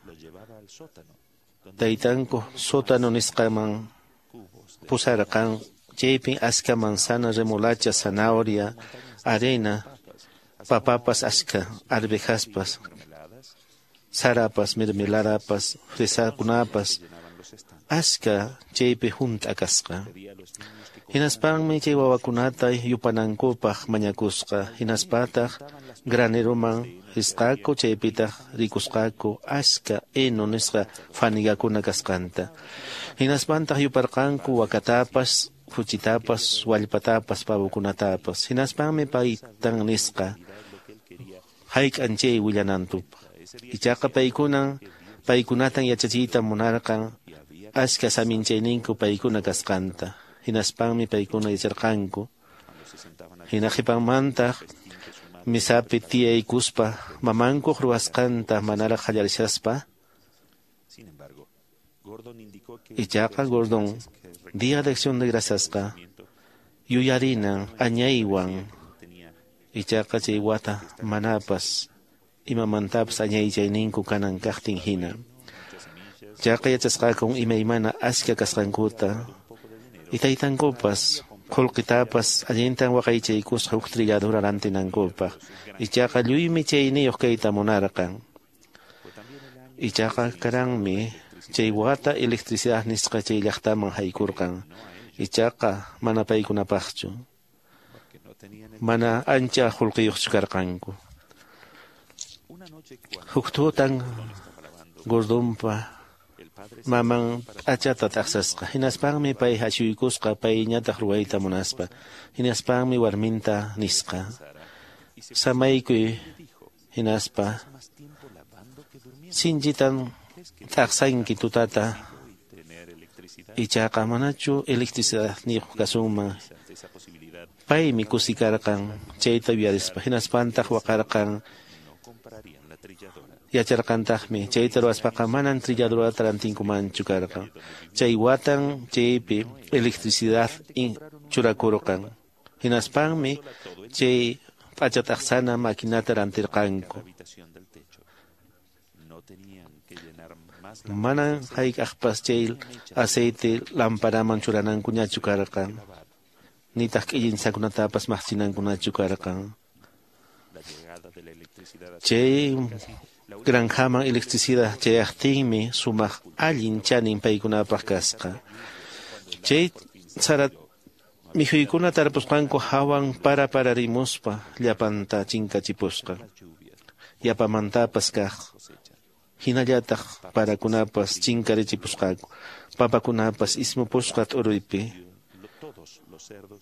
taytanku sótano nisqaman pusarqan. Chaypin aska manzana, remolacha, zanahoria, arena, papapas aska, arvejaspas, sarapas, mermeladapas, fresakunapas, aska chaypi hunt'a kasqa. Hinaspanmi chay wawakunata yupanankupaq mañakusqa, hinaspataq graneroman risqaku, chaypitaq rikusqaku aska heno nisqa fanigakuna kasqanta. Hinaspantaq yuparqanku wakatapas, huchitapas, wallpatapas, pavokunatapas. Hinaspanmi paytan nisqa hayk'an chay willanantupaq. Ichaqa paykunan paykunatan yachachiyta munarqan aska saminchayninku paykuna kasqanta. Hinaspanmi paykuna yacharqanku. Hina qhipanmantaq misapi tiyaykuspa mamankuq ruwasqanta manaraq qallarishaspa. Ichaqa Gordon Día de Acción de Graciasqa yuyarinan añaywan. Ichaqa chay wata manapas imamantapas añaychayninku kanan kaqtin hina. Chaqa yachasqakun imaymana aska kasqankuta. Itaytankupas qullqitapas allintan waqaychaykusqa huk trilladura rantinankupaq. Ichaqa lluymi chayniyuq kayta munarqan. Ichaqa karanmi chay wata electricidad nisqa chay llaqtaman haykurqan. Ichaqa mana paykunapaqchu. Mana ancha qullqiyuqchu karqanku. Huk tutan Gordonpa maman p'achata t'aqsasqa. Hinaspanmi pay hachuykusqa payñataq ruwayta munaspa. Hinaspanmi warminta nisqa: samaykuy hinaspa sinchitan t'aqsanki tutata. Ichaqa manachu electricidadniyuq kasunman. Paymi kusikarqan chayta uyarispa. Hinaspantaq waqarqan. Yacharqantaqmi chayta ruwaspaqa manan trilladorata rantinkumanchu karqan. Chay watan chaypi electricidad churakurqan. Hinaspanmi chay p'acha t'aqsana maquinata rantirqanku. Manan hayk'aqpas chay aceite lamparaman churanankuñachu karqan. Nitaq k'illinsakunatapas maqchinankunachu karqan. Chay granjaman electricidad chayaqtinmi sumaq allin chanin paykunapaq kasqa. Chay sara mikhuykuna tarpusqanku hawan para pararimuspa llapanta chinkachipusqa. Yapamantapas kaq hinallataq parakunapas chinkarichipusqaku. Papakunapas ismupusqa t'uruypi.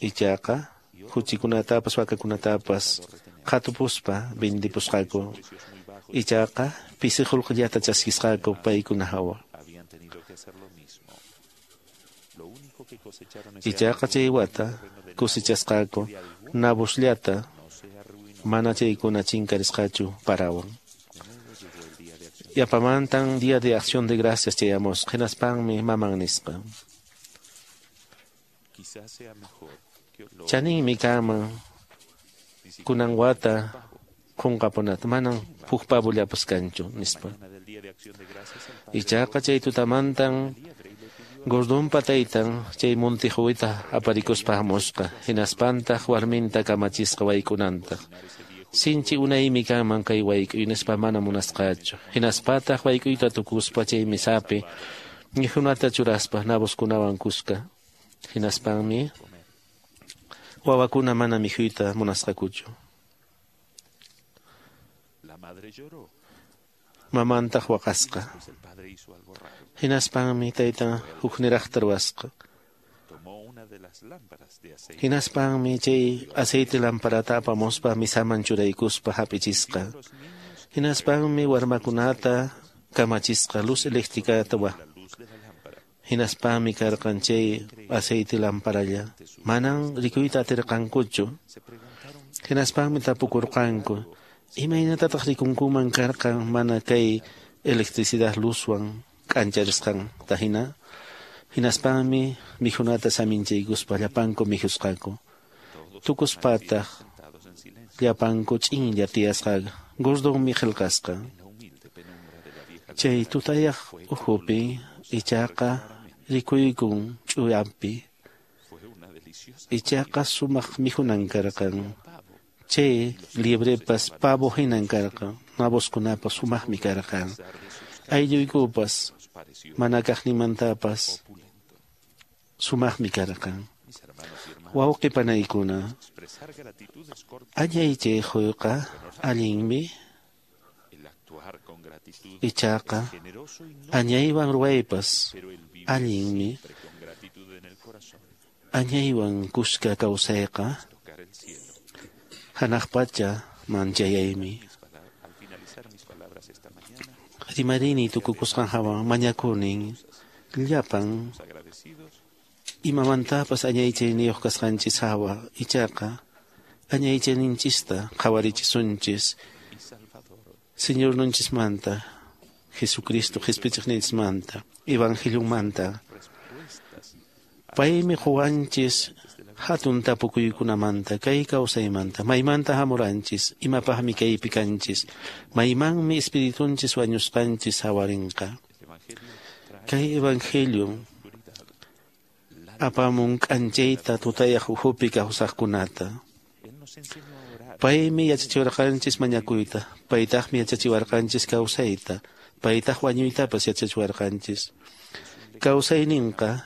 Ichaqa huchikunatapas wakakunatapas qhatupuspa vendipusqaku. Ichaqa pisi qullqillata chaskisqaku paykuna hawa. Ichaqa chay wata kusichasqaku nabusllata mana chaykuna chinkarisqachu parawan. Yapamantan Día de Acción de Gracias chayamusqa. Hinaspanmi maman nisqa: chaninmi kanman kunan wata qunqapunata, manan huk pavollapas kanchu, nispa. Ichaqa chay tutamantan Gordonpa taytan chay monte huwita aparikuspa hamusqa. Hinaspantaq warminta kamachisqa wayk'unantaq. Sinchi unaymi kanman kay wayk'uy nispa mana munasqachu. Hinaspataq wayk'uyta tukuspa chay misapi mikhunata churaspa naboskunawan kuska. Hinaspanmi wawakuna mana mikhuyta munasqakuchu. Mamantaq waqasqa. Hinaspanmi taytan hukniraqta ruwasqa. Hinaspanmi chay aceite lamparata apamuspa misaman churaykuspa hap'ichisqa. Hinaspanmi warmakunata kamachisqa luz eléctricata wa. Hinaspanmi karqan chay aceite lamparalla. Manan rikuyta atirqankuchu. Hinaspanmi tapukurqanku. Imaynatataq rikunkuman karqan mana kay electricidad luzwan k'ancharisqanta hina. Hinaspanmi mikhunata saminchaykuspa llapanku mikhusqaku. Tukuspataq llapanku ch'inlla tiyasqa. Gordonmi qillqasqa. Chay tutayaq ukhupi ichaqa rikuykun ch'uyanpi. Ichaqa sumaq mikhunan karqan. Chay liebrepas pavo hinan karqan. Naboskunapas sumaqmi karqan. Aylluykupas mana kaqnimantapas sumaqmi karqan. Wawqi panaykuna, añaychay quyqa allinmi, ichaqa añaywan ruwaypas allinmi. Añaywan kuska kawsayqa hanaq pacha manchayaymi. Rimarini tukukusqan hawan mañakunin llapan imamantapas añaychayniyuq kasqanchis hawa, ichaqa añaychayninchista qhawarichisunchis Señorninchismanta, Jesucristo qhispichiqninchismanta, Evangeliumanta. Paymi quwanchis hatun tapukuykunamanta, kay kawsaymanta, maymanta hamuranchis, imapaqmi kaypi kanchis, maymanmi espiritunchis wañusqanchis hawarinqa. Kay Evangelio apamun k'anchayta tutayaq ukhupi kawsaqkunata. Paymi yachachiwarqanchis mañakuyta, paytaqmi yachachiwarqanchis kawsayta, paytaq wañuytapas yachachiwarqanchis. Kawsayninqa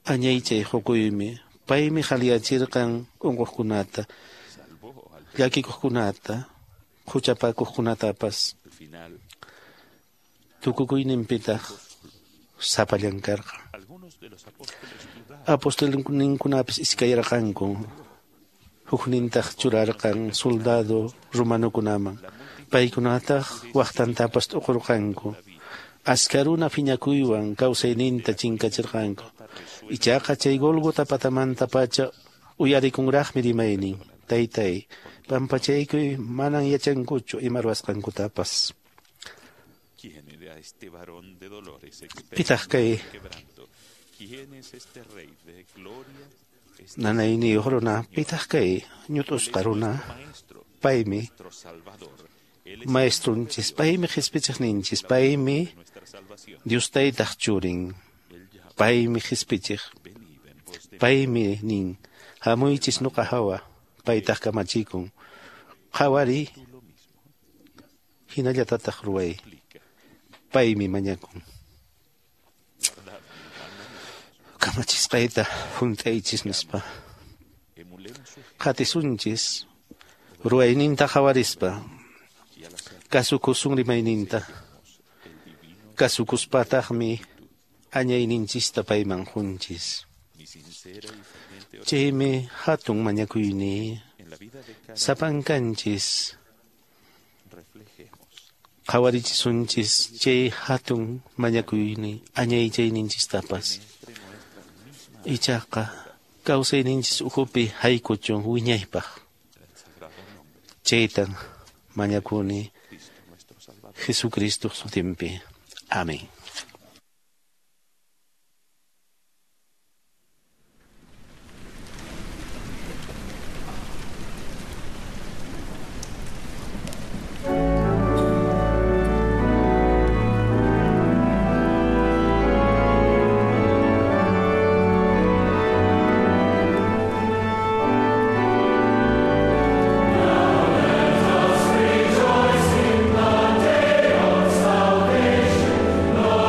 añaychay hukuymi. Paymi qhaliyachirqan unquqkunata, llakikuqkunata, huchapakuqkunatapas. Tukukuyninpitaq sapallan karqan. Apostolninkunapis iskayarqanku. Huknintaq churarqan soldado romanokunaman. Paykunataq waqtantapas t'uqurqanku. Askaruna phiñakuywan kawsayninta chinkachirqanku. Ichaqa chay Gólgota patamanta pacha uyarikunraqmi rimaynin. Taytay, pampachaykuy manan yachankuchu ima ruwasqankutapas. Pitaq kay nanayniyuq runa, pitaq kay ñut'usqa runa, paymi maestrunchis, paymi qhispichiqninchis, paymi Dios taytaq churin, paymi qhispichiq, paymi nin, hamuychis nuqa hawa, paytaq kamachikun, qhawari hinallatataq ruway, paymi mañakun. Kamachisqayta hunt'aychis nispa. Qatisunchis ruwayninta qhawarispa, kasukusun rimayninta, kasukuspataqmi añayninchista payman qunchis. Chaymi hatun mañakuyni sapankanchis qhawarichisunchis chay hatun mañakuyni añaychayninchistapas. Ichaqa kawsayninchis ukhupi haykuchun wiñaypaq. Chaytan mañakuni Jesucristo sutinpi. Amén. Rejoice in the day of salvation.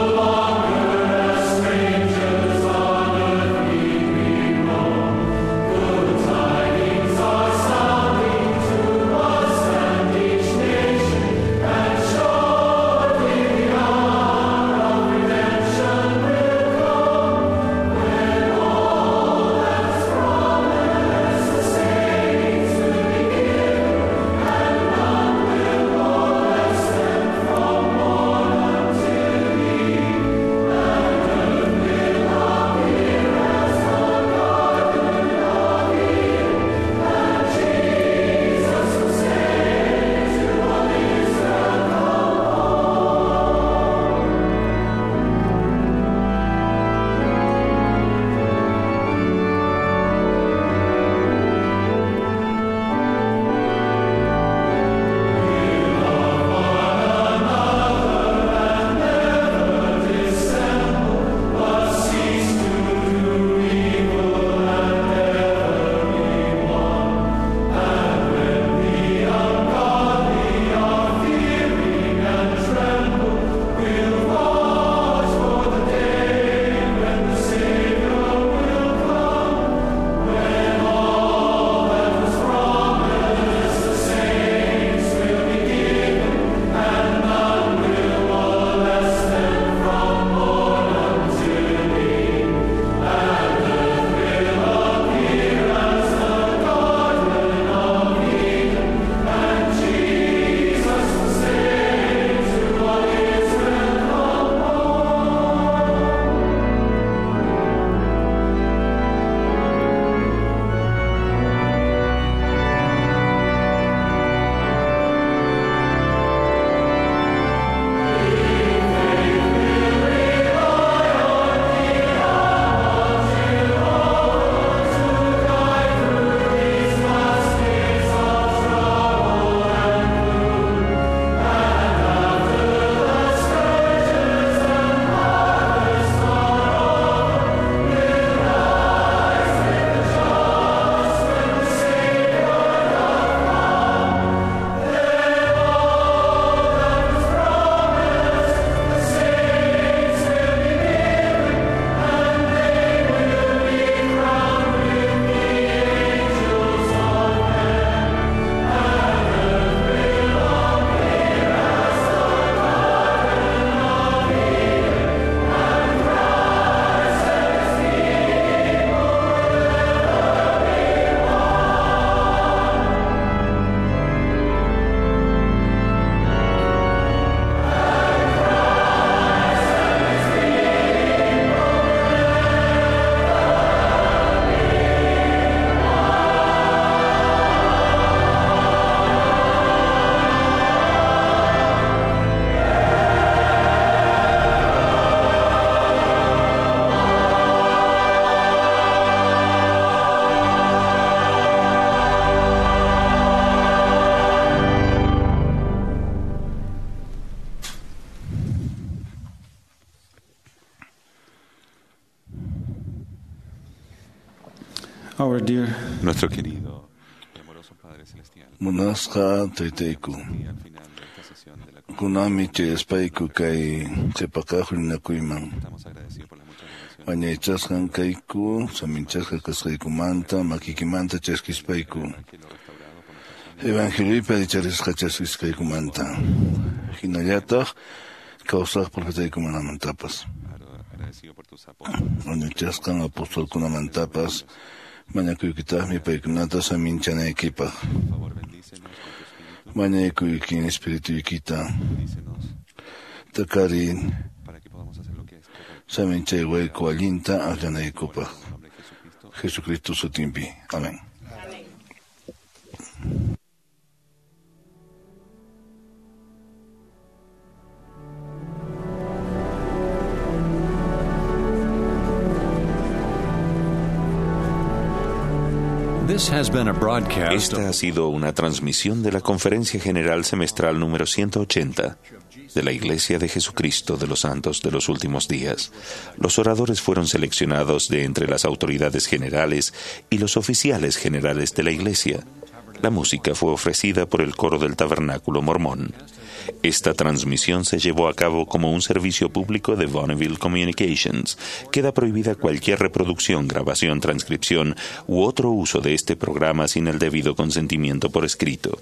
Our dear Nuestro querido y amoroso Padre Celestial, Munasqa taytayku. Kunanmi chayaspayku kay qhipakaq huñunakuyman. Añaychasqan kayku, saminchasqa kasqaykumanta, makiykimanta chaskispayku. Evangeliopi allicharisqa chaskisqaykumanta. Hinallataq kawsaq profetaykunamantapas. Añaychasqan apostolkunamantapas mañakuykitaqmi paykunata saminchanaykipaq. Mañakuykin espirituykita. Takari saminchaywayku allinta akllanaykupaq. Jesucristo sutinpi. Amén. Esta ha sido una transmisión de la Conferencia General Semestral número ciento ochenta de la Iglesia de Jesucristo de los Santos de los Últimos Días. Los oradores fueron seleccionados de entre las autoridades generales y los oficiales generales de la Iglesia. La música fue ofrecida por el coro del Tabernáculo Mormón. Esta transmisión se llevó a cabo como un servicio público de Bonneville Communications. Queda prohibida cualquier reproducción, grabación, transcripción u otro uso de este programa sin el debido consentimiento por escrito.